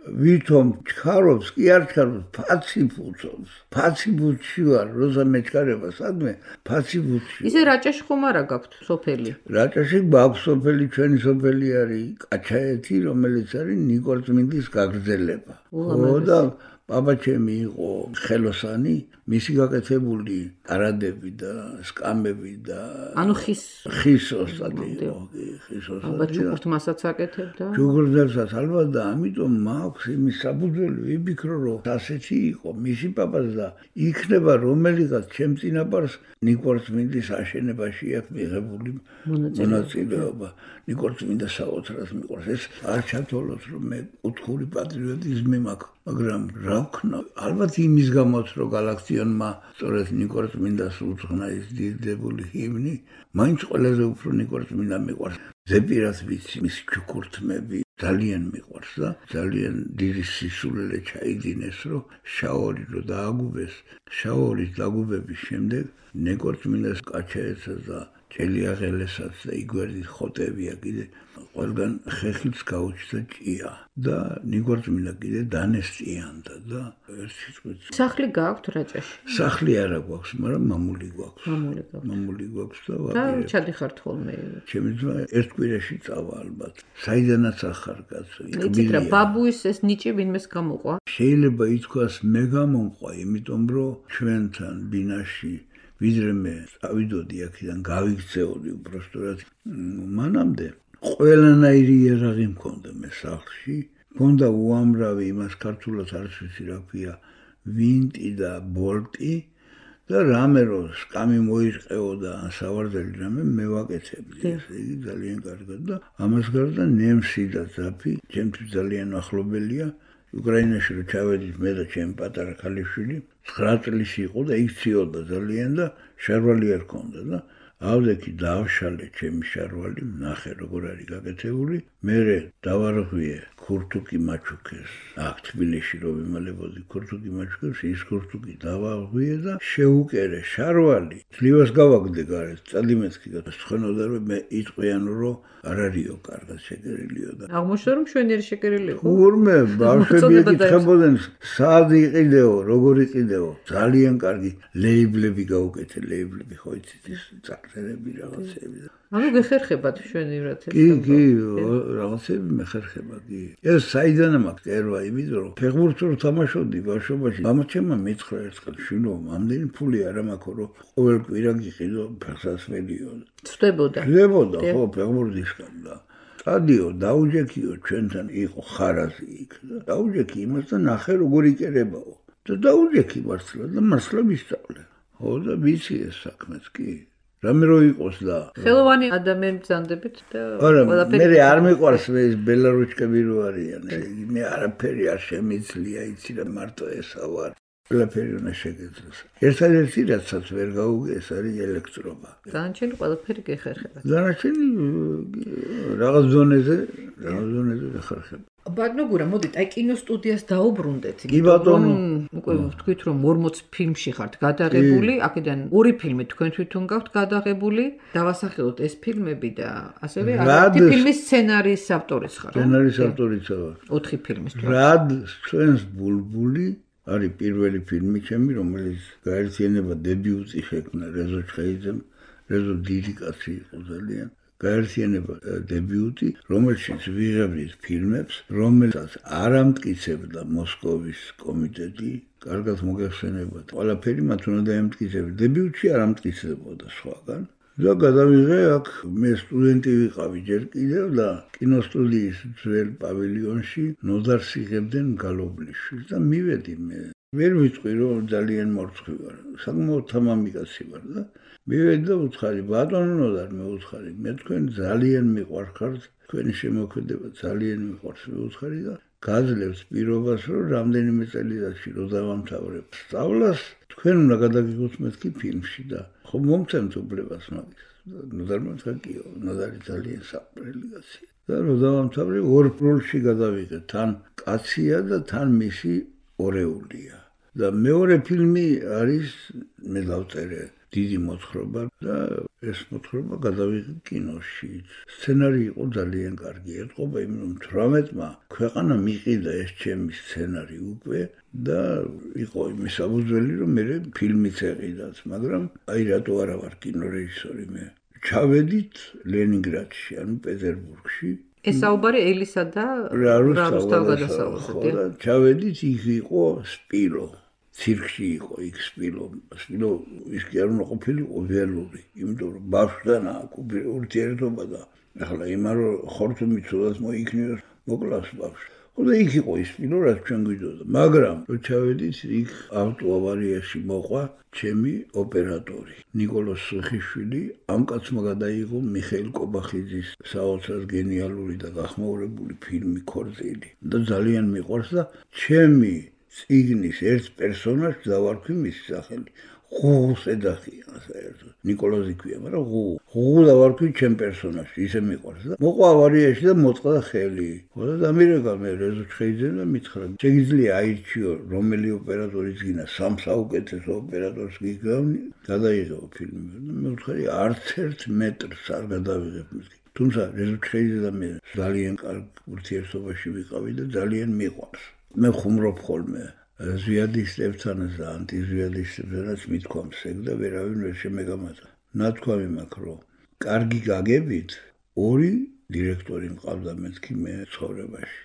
ვითომ ჩქარობს, კი არ ჩქარობს, ფაციფუცობს. ფაციფუცში ვარ, როცა მეჩქარება სადმე, ფაციფუცში. ისე რაჭაში ხომ არა გაქვთ სოფელი? რაჭაში გვაქვს სოფელი, ჩვენი სოფელი არის კაჩაეთი, რომელიც არის ნიკორწმინდის გაგრძელება. ხო და პაპაჩემი იყო ხელოსანი, მისი გაკეთებული არადები და სკამები და ანუ ხის ოსტატი იყო, ხის ოსტატი. ალბათ ჩუქურთ მასაც აკეთებდა. ჩუქურთებსაც ალბათ და ამიტომ მაქვს იმის საფუძველი, ვიფიქრო რომ ასეთი იყო მისი პაპაც და იქნება რომელიღაც ჩემ წინაპარს ნიკორწმინდის აშენებაში აქვს მიღებული მონაწილეობა. ნიკორწმინდა საოცრად მიყვარს. ეს არ ჩათვალოთ რომ მე კუთხური პატრიოტიზმი მაქვს, მაგრამ რა ვქნა, ალბათ იმის გამოც რომ გალაქციონმა სწორედ ნიკორწმინდას უძღვნა ის დიდებული ჰიმნი, მაინც ყველაზე უფრო ნიკორწმინდა მიყვარს. ზეპირად ვიცი მის ჩუქურთმები ძალიან მიყვარს და ძალიან დიდი სისულელე ჩაიდინეს რომ შაორი რო დააგუბეს, შაორის დაგუბების შემდეგ ნიკორწმინდას კაჩაეცას და ჭელიაღელესაც და იგვერდის ხოტებია კიდე ყველგან ხეხილს გაუჩნდა ჭია და ნიკორწმინდა კიდე დანესტიანდა და ერთი წუთი. სახლი გაქვთ რაჭაში? სახლი არა გვაქვს, მაგრამ მამული გვაქვს. მამული გვაქვს და ვაპირებ. და ჩადიხართ ხოლმე? ჩემი ძმა ერთ კვირაში წავა ალბათ. საიდანაც ახარ კაცო, იცით რა, ბაბუის ეს ნიჭი ვინმეს გამოყვა? შეიძლება ითქვას მე გამომყვა, იმიტომ რომ ჩვენთან ბინაში ვიდრე მე წავიდოდი აქედან გავიქცეოდი უბრალოდ მანამდე ყველანაირი იარაღი მქონდა მე სახლში. მქონდა უამრავი იმას ქართულად არც ვიცი რა ქვია, ვინტი და ბოლტი და რამე რო სკამი მოიწყეო და სავარძელი რამე მე ვაკეთებდი. ესე იგი ძალიან კარგად და ამას გარდა ნემსი და ზაფი ჩემთვის ძალიან ახლობელია. უკრაინაში რო ჩავედით მე და ჩემი პატარა ქალიშვილი 9 წლის იყო და იქ ციოდა ძალიან და შარვალი არ ჰქონდა და ავდექი დავშალე ჩემი შარვალი, ნახე როგორ არის გაკეთებული. მერე დავარღვიე ქურთუკი მაჩუქეს. აქ თბილისში რო ვიმალებოდი ქურთუკი მაჩუქეს, ის ქურთუკი დავარღვიე და შეუკერე შარვალი. ძლივას გავაგდე გარეთ, წადი მეთქი და ცხენოდა რომ მე იტყვიანო რომ არ არისო კარგად შეკერილიო და აღმოჩნდა რომ შვენიერი შეკერილი იყო. ურმე ბავშვები ეკითხებოდნენ სად იყიდეო, როგორ იყიდეო. ძალიან კარგი ლეიბლები გაუკეთე, ლეიბლები ხო იცით ის წარწერები რაღაცები და ანუ გეხერხებათ შვენივრად ეს. კი, რაღაცები მეხერხება, კი. ეს საიდან მაქვს ერვა, იმიტომ რომ ფეხბურთს რო თამაშობდი ბავშვობაში, მამაჩემმა მითხრა ერთხელ, შვილო, ამდენი ფული არ მაქვს, რომ ყოველ კვირა გიყიდო ფეხსაცმელიო. ცდებოდა, ხო, ფეხბურთისგან და სტადიო დაუჯექიო ჩვენთან იყო ხარაზი იქ და დაუჯექი იმას და ნახე როგორ იკერებაო. და დაუჯექი მართლა და მართლა ვისწავლე. ხო და ვიცი ეს საქმეც კი. რამე რო იყოს და ხელოვანი ადამიანი ბრძანდებით და ყველაფერი მე არ მიყვარს ეს ბელარუსკები რო არიან. მე არაფერი არ შემიძლია იცი და მარტო ესა ვარ. ყველაფერი უნდა შეგეძლოს. ერთადერთი რაცაც ვერ გაუგე ეს არის ელექტრობა. დანარჩენი ყველაფერი გეხერხება. დანარჩენი რაღაც ზონეზე გეხერხება. ბატონო გურა, მოდით, აი კინოსტუდიას დაუბრუნდეთ. კი ბატონო. უკვე ვთქვით რომ 40 ფილმში ხართ გადაღებული, აქედან 2 ფილმი თქვენ თვითონ გაქვთ გადაღებული. დავასახელოთ ეს ფილმები და ასევე ერთი ფილმის სცენარის ავტორიც ხარ. სცენარის ავტორიც ვარ. 4 ფილმის თუ. რად ჩვენს ბულბული არის პირველი ფილმი ჩემი, რომელიც გაერთიანება დებიუტი შექმნა რეზო ჩხეიძემ. რეზო დიდი კაცი იყო ძალიან. გაერთიანება დებიუტი, რომელშიც ვიღებდით ფილმებს, რომელსაც არ ამტკიცებდა მოსკოვის კომიტეტი, კარგად მოგეხსენებათ. ყველაფერი მათ უნდა დაემტკიცებინა. დებიუტში არ ამტკიცებოდა სხვაგან. და გადავიღე აქ, მე სტუდენტი ვიყავი ჯერ კიდევ და კინოსტუდიის ძველ პავილიონში ნოდარს იღებდნენ გალობლიშვილს და მივედი მე. ვერ ვიტყვი რომ ძალიან მორცხვი ვარ. საკმაოდ თამამი კაცი ვარ და მივედი და უთხარი, ბატონო ნოდარ, მე უთხარი, მე თქვენ ძალიან მიყვარხართ, თქვენი შემოქმედება ძალიან მიყვარს, მე უთხარი და გაძლევს პირობას, რომ რამდენიმე წელიწადში რო დავამთავრებ სწავლას, თქვენ უნდა გადაგიღოთ მეთქი ფილმში და ხო მომცემთ უფლებას მაგის. ნოდარმა თქვა კიო, ნოდარი ძალიან საყვარელი კაცია. და რო დავამთავრე, 2 როლში გადავიღე, თან კაცია და თან მისი ორეულია. და მეორე ფილმი არის მე დავწერე დიდი მოთხრობა და ეს მოთხრობა გადავიღე კინოში. სცენარი იყო ძალიან კარგი. ეთყობა იმ რომ 18-მა ქვეყანა მიყიდა ეს ჩემი სცენარი უკვე და იყო იმის საფუძველი რომ მე ფილმიც ეყიდათ, მაგრამ აი რატო არა ვარ კინორეჟისორი მე. ჩავედით ლენინგრადში, ანუ პეტერბურგში. ეს საუბარი ელისა და რუსთავ გადასავლაზე. ჩავედით, იქ იყო სპილო. ცირკში იყო იქ სპილო ის კი არ უნდა ყოფილიყო ველური, იმიტომ რომ ბავშვთან აქვს ურთიერთობა და ახლა იმან რომ ხორთუმი ცუდად მოიქნიოს, მოკლავს ბავშვს. ხო და იქ იყო ის სპილო, რაც ჩვენ გვიდოდა, მაგრამ რო ჩავედით, იქ ავტოავარიაში მოყვა ჩემი ოპერატორი, ნიკოლოზ სუხიშვილი. ამ კაცმა გადაიღო მიხეილ კობახიძის საოცრად გენიალური და გახმაურებული ფილმი ქორწილი და ძალიან მიყვარს და ჩემი წიგნის ერთ პერსონაჟს დავარქვი მისი სახელი. ღუღუს ეძახიან საერთოდ. ნიკოლოზი ქვია, მაგრამ ღუღუ დავარქვი ჩემ პერსონაჟს, ისე მიყვარს და მოყვა ავარიაში და მოწყდა ხელი. ხო და დამირეკა მე რეზო ჩხეიძემ და მითხრა, შეგიძლია აირჩიო რომელი ოპერატორიც გინდა, 3 საუკეთესო ოპერატორს გიგავნი, გადაიღო ფილმი. მე ვთქვი, არც 1 მეტრს არ გადავიღებ მისგან. თუმცა რეზო ჩხეიძე და მე ძალიან კარგ ურთიერთობაში ვიყავი და ძალიან მიყვარს. მე ხუმრობ ხოლმე ზვიადისტებთანაც და ანტიზვიადისტებთანაც მithქვამს ეგ და ვერავინ ვერ შემეგამატა. ნათქვამი მაქვს რომ კარგი გაგებით 2 დირექტორი მყავდა მეთქი მე ცხოვრებაში.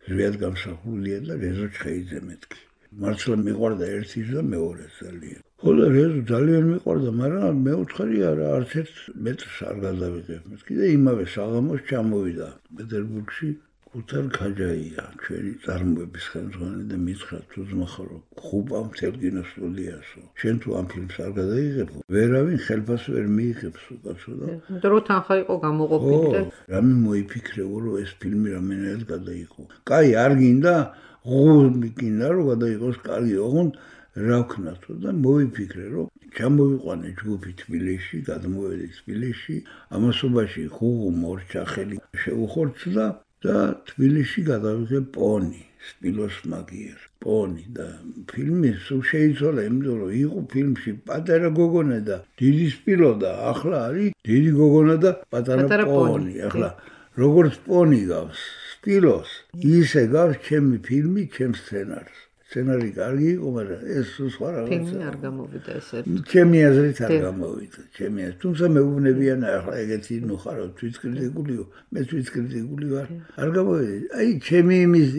ზვიად გამსახურდია და რეზო ჩხეიძე მეთქი. მართლა მიყვარდა ერთის და მეორეს ძალიან. ხო და რეზო ძალიან მიყვარდა, მაგრამ მეუთხარი არა, არც ერთ მეტრს არ გადავიღებ. მე კიდე იმავე საღამოს ჩამოვიდა პეტერბურგში ქუთარ ქაჯაია, ჩვენი წარმოების ხელმძღვანელი და მითხრა თუ ძმახარო, ხუპა მთელ კინოსტუდიასო. შენ თუ ამ ფილმს არ გადაიღებო, ვერავინ ხელფას ვერ მიიღებს უკაცო და. იმიტომ რომ თანხა იყო გამოყოფილი და რამე მოიფიქრეო, რომ ეს ფილმი რამენად გადაიღო. კაი, არ გინდა, ღუმი გინდა რომ გადაიღოს, კარგი, ოღონდ რა ვქნათო და მოვიფიქრე, რომ ჩამოვიყვანე ჯგუფი თბილისში, გადმოვედი თბილისში, ამასობაში ხუღუ მორჩახელი შეუხორცდა და თბილისში გადავიღე პონი, სპილოს მაგიერ, პონი და ფილმი სულ შეიცვალა, იმიტომ რომ იყო ფილმში პატარა გოგონა და დიდი სპილო და ახლა არის დიდი გოგონა და პატარა პონი. ახლა როგორც პონი გავს სპილოს, ისე გავს ჩემი ფილმი, ჩემს სცენარს. სცენარი კარგი იყო, მაგრამ ეს სხვა რაღაცა. ფილმი არ გამოვიდა ესე. ჩემი აზრით არ გამოვიდა, ჩემი აზრით. თუმცა მეუბნებიან ახლა ეგეთი ნუ ხარო თვითკრიტიკულიო, მე თვითკრიტიკული ვარ. არ გამოვიდა. აი ჩემი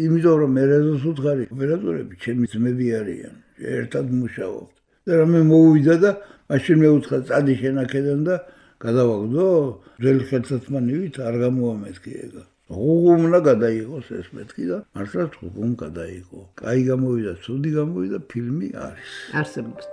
იმიტომ რომ მე რეზოს უთხარი, ოპერატორები ჩემი ძმები არიან. ერთად მუშაობთ. და რამე მოვიდა და მაშინ მე უთხრა წადი შენ აქედან და გადავაგდო, ძველი ხელსაწყმანივით არ გამოვამეთქი ეგა. ღუმნა გადაიღოს ეს მეთქი და მართლაც ღუმ გადაიღო. კაი გამოვიდა, ცუდი გამოვიდა, ფილმი არის. არსებობს.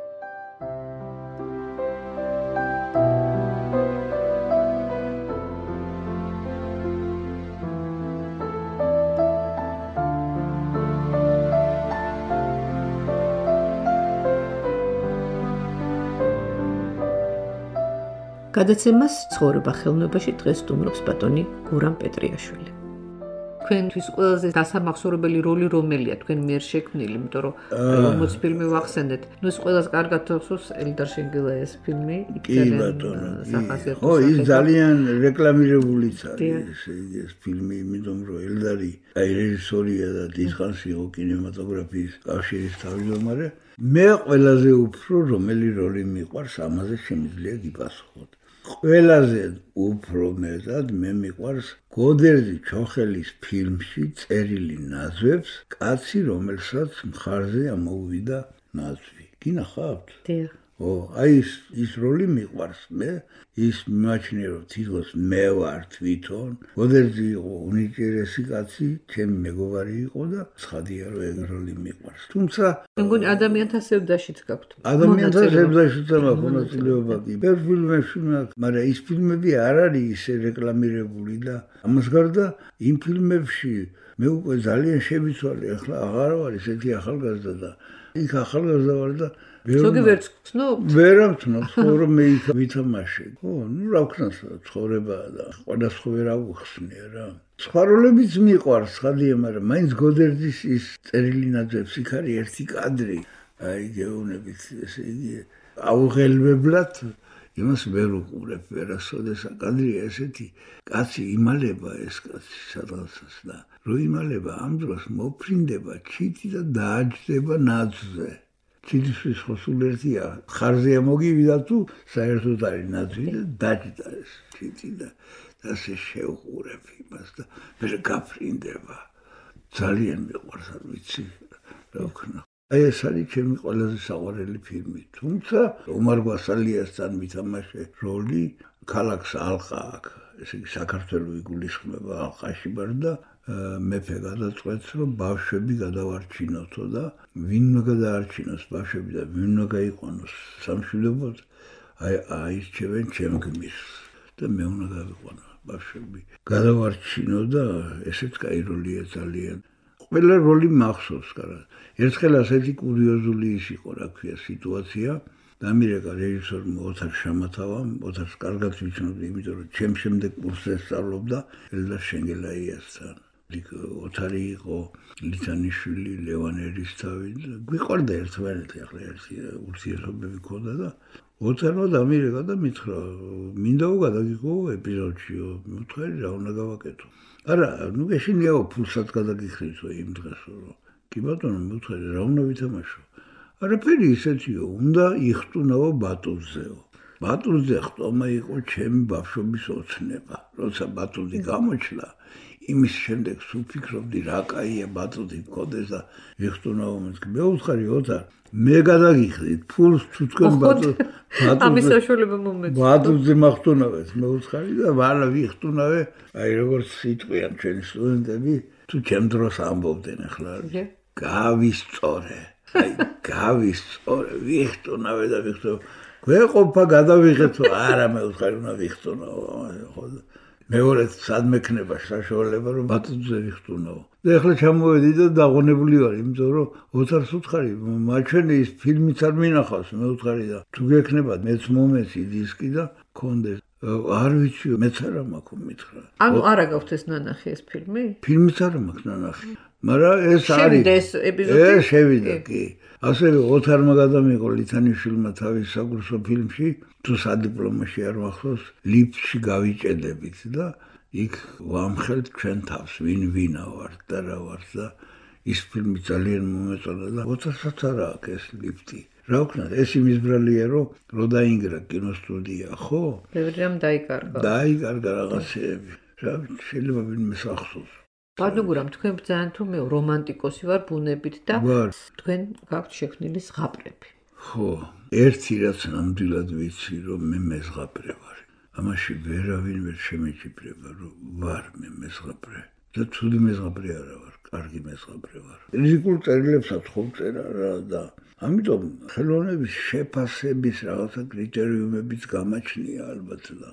გადაცემას ცხოვრება ხელოვნებაში დღეს სტუმრობს ბატონი გურამ პეტრიაშვილი. თქვენთვის ყველაზე დასამახსოვრებელი როლი რომელია თქვენ მიერ შექმნილი, იმიტომ რომ 40 ფილმი ვახსენეთ. ნუ ეს ყველაზე კარგად თახსოვს ელდარ შენგელაიას ფილმი, იქ სახასიათო. ხო, ის ძალიან რეკლამირებულიც არის ეს ფილმი, იმიტომ რომ ელდარი აი რეჟისორია და დიდხანს იყო კინემატოგრაფიის კავშირის თავმჯდომარე. მე ყველაზე უფრო რომელი როლი მიყვარს, ამაზე შემიძლია გიპასუხოთ. ყველაზე უფრო მეტად მე მიყვარს გოდერძი ჩოხელის ფილმში წერილი ნაძვებს, კაცი რომელსაც მხარზე ამოუვიდა ნაძვი. გინახავთ? დიახ. აი ის როლი მიყვარს მე, ის მიმაჩნია რომ თითქოს მე ვარ თვითონ. გოდერძი იყო უნიჭიერესი კაცი, ჩემი მეგობარი იყო და ცხადია რომ ეგ როლი მიყვარს. თუმცა მე მგონი ადამიანთა სევდაშიც გაქვთ. ადამიანთა სევდაშიც მაქვს მონაწილეობა კი. ბევრ ფილმებში მაქვს, მაგრამ ის ფილმები არ არის ისე რეკლამირებული და ამას გარდა იმ ფილმებში მე უკვე ძალიან შევიცვალე, ახლა აღარ ვარ ესეთი ახალგაზრდა და იქ ახალგაზრდა ვარ და ზოგი ვერც ვცნობ? ვერ ამცნობ, რომ მე იქ ვითამაშე. ხო, ნუ რა ვქნა ცხოვრებაა და სხვადასხვა ვერ ავხსნე რა. სხვა როლებიც მიყვარს, ხადია, მაგრამ მაინც გოდერძის ის წერილი ნაძვებს იქ არის ერთი კადრი. აი გეუბნებით, ესე იგი, აუღელმებლად იმას ვერ უყურებ, ვერასოდეს კადრია ესეთი, კაცი იმალება ეს კაცი სადღაცას და რო იმალება ამ დროს მოფრინდება ჩიტი და დააჯდება ნაძვზე. ჩიტისთვის ხო სულ ერთია, ხარზე მოგივიდა თუ საერთოდ არის ნაძვი და დაჯდა ეს ჩიტი და ასე შევყურებ იმას და მე გაფრინდება. ძალიან მიყვარს, არ ვიცი რა ვქნა. აი ეს არის ჩემი ყველაზე საყვარელი ფილმი. თუმცა ომარ გვასალიასთან მითამაშე როლი ქალაქს ალყა აქ, ესე იგი საქართველოს იგულისხმება ალყაში ვარ და მეფე გადაწყვეტს რომ ბავშვები გადავარჩინოთო და ვინმე გადაარჩინოს ბავშვები და ვინმე გაიყვანოს სამშვიდობოდ აი აირჩევენ ჩემ გმირს და მე უნდა გავიყვანო ბავშვები. გადავარჩინო და ესეც კაი როლია ძალიან. ყველა როლი მახსოვს კარგად. ერთხელ ასეთი კურიოზული ის იყო, რა ქვია, სიტუაცია. დამირეკა რეჟისორმა ოთარ შამათავამ, ოთარს კარგად ვიცნობდი, იმიტომ რომ ჩემ შემდეგ კურსზე სწავლობდა ელდარ შენგელაიასთან. ოთარი იყო ლითანიშვილი, ლევან ერისთავი, გვიყვარდა ერთმანეთი, ახლა ერთი ურთიერთობები ქონდა და ოთარმა დამირეკა და მითხრა, მინდა გადაგიღო ეპიზოდშიო, მითხარი რა უნდა გავაკეთო. არა, ნუ ეშინიაო ფულსაც გადაგიხრისო იმ დღესო რომ. კი ბატონო, მითხარი რა უნდა ვითამაშო. არაფერი ისეთიო, უნდა იხტუნაო ბატუზეო. ბატუზე ხტომა იყო ჩემი ბავშვობის ოცნება. როცა ბატუზი გამოჩნდა, იმის შემდეგ სულ ფიქრობდი რა კაია ბატონი მქონდეს და ვიხტუნაო მე უთხარი ოთარ მე გადაგიხდით ფულს თუ თქვენ ამის საშუალება მომეწონა ბატონზე მახტუნავეთ მე უთხარი და ვალა ვიხტუნავე აი როგორც სიტყვიან ჩვენი სტუდენტები თუ ჩემ დროს ამბობდნენ ახლა გავისწორე აი გავისწორე ვიხტუნავე და ვიხტუნავე გვეყოფა გადავიღეთო არა მე უთხარი უნდა ვიხტუნაო ხო მეორედ სადმე ქნება საშუალება რომ ბატონზე ვიხტუნაო და ახლა ჩამოვედი და დაღონებული ვარ იმიტომ რომ ოთარს უთხარი მაჩვენე ის ფილმიც არ მინახავს მე უთხარი და თუ გექნება მეც მომეცი დისკი და კონდეს არ ვიცი მეც არა მაქვს მითხრა ანუ არა გაქვთ ეს ნანახი ეს ფილმი ფილმიც არა მაქვს ნანახი მაგრამ ეს არის ეს ეპიზოდი ეს შევიდა კი ასევე ოთარმა გადამიღო ლითანიშვილმა თავის საკურსო ფილმში თუ სადიპლომოში არ მახსოვს ლიფტში გავიჭედებით და იქ ვამხელთ ჩვენ თავს ვინა ვართ და რა ვართ და ის ფილმი ძალიან მომეწონა და ოთარსაც არა აქვს ეს ლიფტი რა ვქნა ეს იმის ბრალია რომ დაინგრა კინოსტუდია ხო ბევრი რამ დაიკარგა რაღაცეები რა შეიძლება ვინმე სახსოვს ბატონო გურამ თქვენ ძალიან თუ მე რომანტიკოსი ვარ ბუნებით და თქვენ გაქვთ შექმნილი ზღაპრები ხო ერთი რაც ნამდვილად ვიცი რომ მე მეზღაპრე ვარ ამაში ვერავინ ვერ შემეჭიბრება რომ ვარ მე მეზღაპრე და თული მეზღაპრე არა ვარ კარგი მეზღაპრე ვარ რიზიკულ წერილებსაც ხომ წერა რა და ამიტომ ხელოვნების შეფასების რაღაცა კრიტერიუმებიც გამაჩნია ალბათ და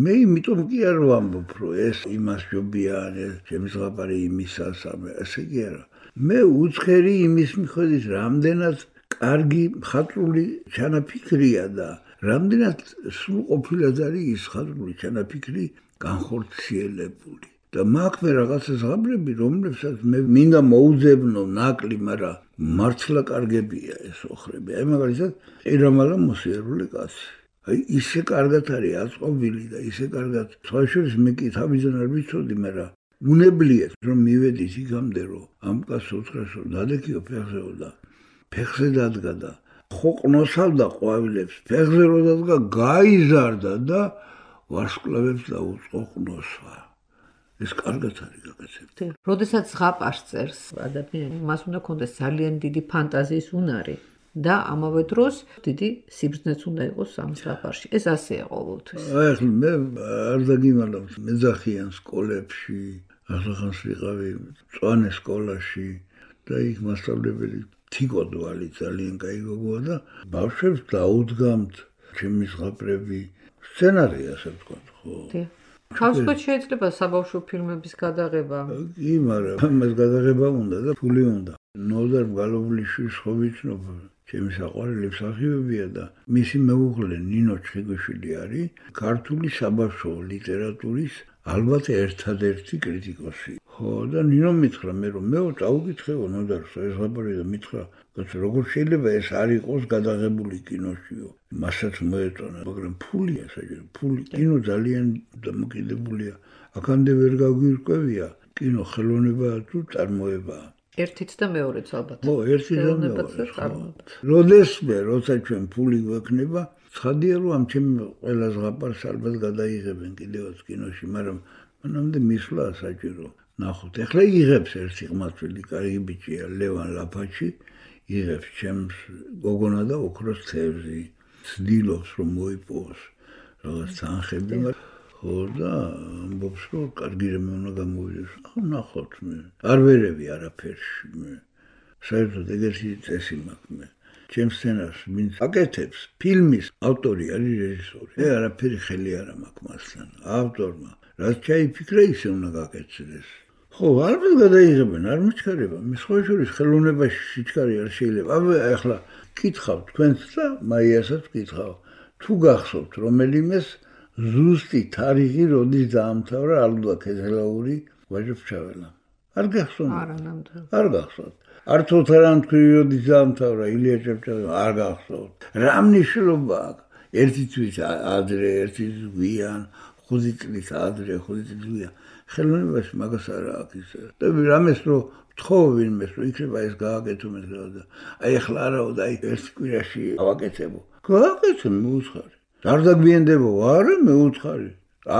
მე იმიტომ კი არ ვამბობ რომ ეს იმას ჯობია ეს ჩემი ზღაპარი იმისას ესე კი არა მე უცხერი იმის მიხედვით რამდენად კარგი მხატვრული ჩანაფიქრია და რამდენად სრულყოფილად არის ის მხატვრული ჩანაფიქრი განხორციელებული და მაქვს მე რაღაცა ზღაპრები რომლებსაც მე მინდა მოუძებნო ნაკლი მაგრამ მართლა კარგებია ეს ოხრები აი მაგალითად ერამალა მოსიარული კაცი აი ისე კარგად არის აწყობილი და ისე კარგად სხვა შორის მე კი თავიდან არ ვიცოდი მაგრამ უნებლიეთ რომ მივედით იქამდე რომ ამ კაცს უთხრეს რომ დადექიო ფეხზეო და ფეხზე დადგა და ხოყნოსავდა ყვავილებს ფეხზე რო დადგა გაიზარდა და ვარსკვლავებს დაუწყო ყნოსვა ეს კარგად არის გაკეთებული როდესაც ზღაპარს წერს ადამიანი მას უნდა ქონდეს ძალიან დიდი ფანტაზიის უნარი და ამავე დროს დიდი სიბრძნეც უნდა იყოს ამ ზღაპარში ეს ასეა ყოველთვის აი მე არ დაგიმალავთ მეძახიან სკოლებში ახლა ვიყავი წვანე სკოლაში და იქ მასწავლებელი თიკოდვალი ძალიან კაი გოგოა და ბავშვებს დაუდგამთ ჩემი ზღაპრები სცენარი ასე ვთქვათ ხო ხავსკოთ შეიძლება საბავშვო ფილმების გადაღება კი მაგრამ ამას გადაღება უნდა და ფული უნდა ნოდარ გალობლიშვილს ხო ვიცნობ ჩემი საყვარელი მსახიობია და მისი მეუღლე ნინო ჩხიგვიშვილი არის ქართული საბავშვო ლიტერატურის ალბათ ერთადერთი კრიტიკოსი ხო და ნინო მითხრა მე რომ მე წაუკითხეო ნოდარს ეს ზღაპარი და მითხრა როგორ შეიძლება ეს არ იყოს გადაღებული კინოშიო მასაც მოეწონა მაგრამ ფულია საჭირო ფული კინო ძალიან დამოკიდებულია აქამდე ვერ გაგვირკვევია კინო ხელოვნება თუ წარმოებაა ერთიც და მეორეც ალბათ ხო ერთი და მეორე როდესმე როცა ჩვენ ფული გვექნება ცხადია რომ ამ ჩემ ყველა ზღაპარს ალბათ გადაიღებენ კიდევაც კინოში მაგრამ მანამდე მისვლა საჭირო ნახოთ ეხლა იღებს ერთი ყმაწვილი კარგი ბიჭია ლევან ლაფაჩი იღებს ჩემს გოგონა და ოქროს თევზი ცდილობს რომ მოიპოვოს რაღაც თანხები ხო და ამბობს რომ კარგი რამე უნდა გამოვიდეს ხო ნახოთ მე არ ვერევი არაფერში მე საერთოდ ეგეთი წესი მაქვს მე ჩემს სცენარს ვინც აკეთებს ფილმის ავტორი არის რეჟისორი მე არაფერი ხელი არ მაქვს მასთან ავტორმა რაც ჩაიფიქრა ისე უნდა გაკეთდეს ხო ალბათ გადაიღებენ არ მიჩქარება მე სხვა შორის ხელოვნებაში სიჩქარე არ შეიძლება ახლა კითხავ თქვენს და მაიასაც კითხავ თუ გახსოვთ რომელიმეს ზუსტი თარიღი როდის დაამთავრა ალუდა ქეზელაური ვაჟოფჩაველა არ გახსოვთ არა ნამდვილად არ გახსოვთ არც ოთარანთქვი როდის დაამთავრა ილია ჭავჭავაძე არ გახსოვთ რა მნიშვნელობა აქვს ერთი თვის ადრე ერთი გვიან 5 წლის ადრე 5 წლის გვიან ხელოვნებაში მაგას არ აქვს ისე და რამეს რომ თხოვ ვინმეს რომ იქნება ეს გააკეთო მე და აი ახლა არაო და აი ერთ კვირაში ავაკეთებო გააკეთე მე უცხარი არ დაგვიანდება არა მე უცხარი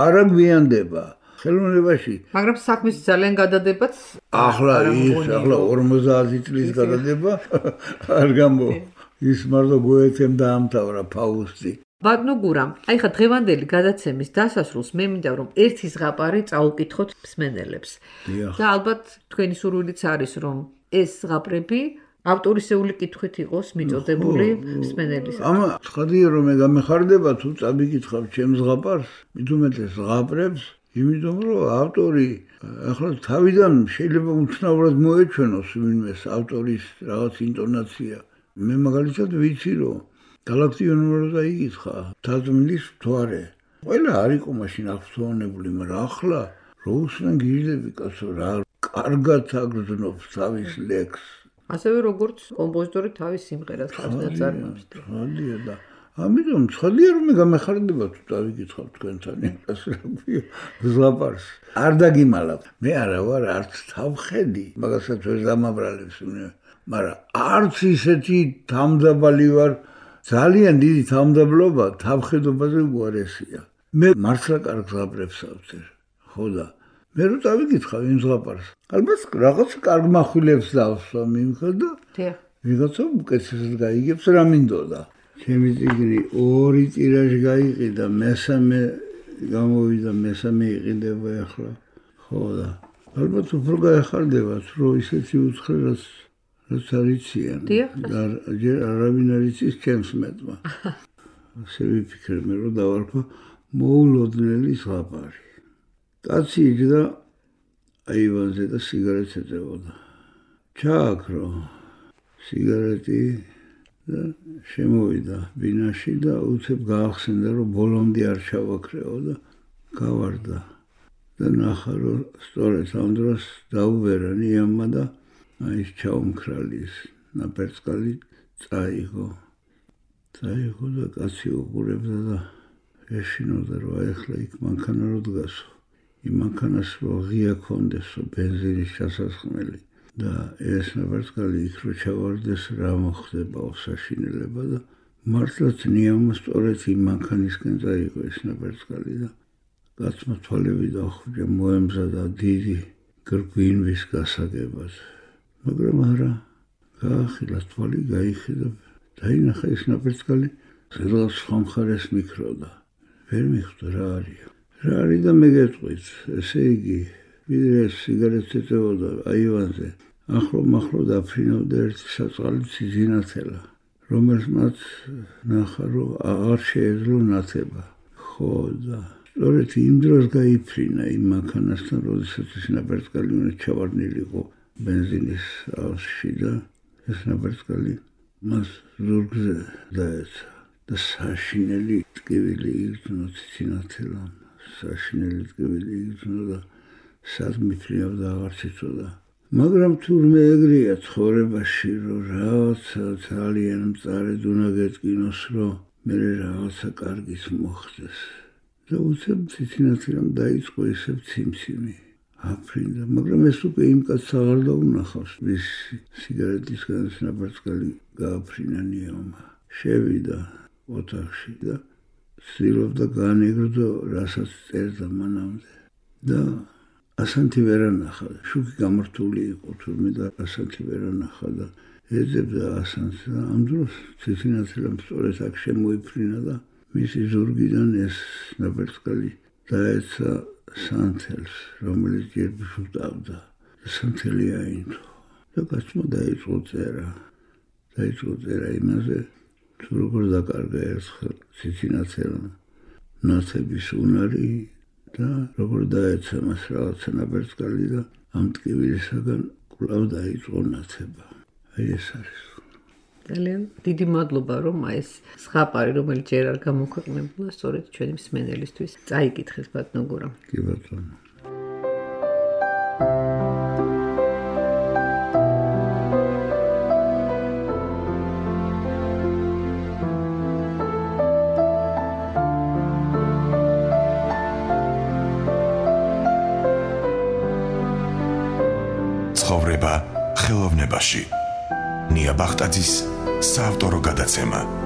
არა გვიანდება ხელოვნებაში. მაგრამ საქმის ძალიან გადადებაც ახლა 50 წლის გადადება არ გამო. ის მარტო გოეთემ დაამთავრა ფაუსტი. ბატონო გურამ, აი ხა დღევანდელი გადაცემის დასასრულს მე მინდა რომ ერთი ზღაპარი წაუკითხოთ მსმენელებს. და ალბათ თქვენი სურვილიც არის რომ ეს ზღაპრები ავტორისეული კითხვით იყოს მიწოდებული მსმენელის. ამა ცხადია რომ მე გამეხარდება თუ წაბიკითხავ ჩემს ზღაპარს, მით უმეტეს ზღაპრებს, იმიტომ რომ ავტორი ახლა თავიდან შეიძლება უცნაურად მოეჩვენოს ვინმეს ავტორის რაღაც ინტონაცია. მე მაგალითად ვიცი რომ გალაქტიონურს დაიკითხა თაზმილის მთვარე. ყველა არ იყო მაშინ აღფრთოვანებული, მაგრამ ახლა რო უსმენ გიჟდები კაცო რა კარგად აგრძნობს თავის ლექსს. ასევე როგორც კომპოზიტორი თავის სიმღერას აწარმოებს. ხალია და ამიტომ ცხადია რომ მე გამეხარდება თუ დავიკითხავ თქვენთან იმას რა ქვია ზღაპარს. არ დაგიმალავ. მე არა ვარ არც თავხედი, მაგასაც ვერ დამაბრალებს უნდა. მაგრამ არც ისეთი თამდაბალი ვარ, ძალიან დიდი თამდაბლობა თავხედობაზე უარესია. მე მართლა კარგ ზღაპრებს ავწერ. ხო და მე რო დავიკითხავ იმ ზღაპარს, ალბათ რაღაც კარგ מחვილებს დავსვამ იმხელ და ვიღაცა უკეთესად გაიგებს რა მინდოდა. ჩემი წიგნი 2 ტირაჟი გაიყიდა, მესამე გამოვიდა, მესამე იყიდება ახლა. ხო და ალბათ უფრო გაეხარდებათ, რომ ისეთი უცხრელას რაც არიციან. ჯერ არავინ არ იცის ჩემს მეტმა. ასე ვიფიქრე მე რომ დავარქვა მოულოდნელი ზღაპარი. კაცი იჯდა აივანზე და სიგარეტს ეწევოდა. ჩააქრო სიგარეტი და შემოვიდა ბინაში და უცებ გაახსენდა რომ ბოლომდე არ ჩავაქრეო და გავარდა. და ნახა რომ სწორედ ამ დროს დაუბერა ნიამმა და ის ჩაუმქრალის ნაპერწკალი წაიღო და კაცი უყურებდა და ეშინოდა რომ ახლა იქ მანქანა რო დგასო. იმ მანქანას რო ღია ქონდესო ბენზინის ჩასასხმელი და ეს ნაპერწკალი იქ რო ჩავარდეს რა მოხდებაო საშინელება და მართლაც ნიამმა სწორედ იმ მანქანისკენ წაიღო ეს ნაპერწკალი და კაცმა თვალები დახვდა მოემზადა დიდი გრბინვის გასაგებად. მაგრამ არა, გაახილა თვალი, გაიხიდა, დაინახა ეს ნაპერწკალი, ზედღაც სხვა მხარეს მიქროდა. ვერ მიხვდა რა არის. რა არის და მე გეტყვით, ესე იგი, ვიდრე სიგარეტს ეწევოდა აივანზე, ახლო დაფრინავდა ერთი საწყალი ციზინათელა, რომელსაც ნახა, რომ აღარ შეეძლო ნათება. ხო და სწორედ იმ დროს გაიფრინა იმ მანქანასთან, როდესაც ეს ნაპერწკალი უნდა ჩავარდნილიყო ბენზინის ავსში და ეს ნაპერწკალი მას ზურგზე დაეცა და საშინელი ტკივილი იგრძნო ციცინათელამ. საშინელი ტკივილი იგრძნო და სად მიფრინავდა აღარ ციცოდა. მაგრამ თურმე ეგრეა ცხოვრებაში, რომ რაღაცა ძალიან მწარედ უნდა გეტკინოს, რომ მე რაღაცა კარგიც მოხდეს. და უცებ ციცინათელამ დაიწყო ისევ ციმციმი. აფრინდა, მაგრამ ეს უკვე იმ კაცს აღარ დაუნახავს, ვის სიგარეტისგან ნაპერწკალი გააფრინა ნიამმა. შევიდა ოთახში და ცდილობდა განეგრძო, რასაც წერდა მანამდე. და ასანთი ვერ ანახა. შუქი გამართული იყო თურმე და ასანთი ვერ ანახა და ეძებდა ასანს და ამ დროს ციცინათელამ სწორედ აქ შემოიფრინა და მისი ზურგიდან ეს ნაპერწკალი დაეცა სანთელს, რომელიც ჯერ ბუშუტავდა. სანთელი აინდო. და კაცმა დაიწყო წერა იმაზე, თუ როგორ დაკარგა ერთხელ ციცინათელმა ნათების უნარი და როგორ დაეცა მას რაღაცა ნაპერწკალი და ამ ტკივილისაგან კვლავ დაიწყო ნათება. აი ეს არის. ძალიან დიდი მადლობა რომ ეს ზღაპარი რომელიც ჯერ არ გამოქვეყნებულა სწორედ ჩვენი მსმენელისთვის წაიკითხეთ ბატონო გურამ. კი ბატონო. ცხოვრება ხელოვნებაში. ნია ბახტაძის საავტორო გადაცემა.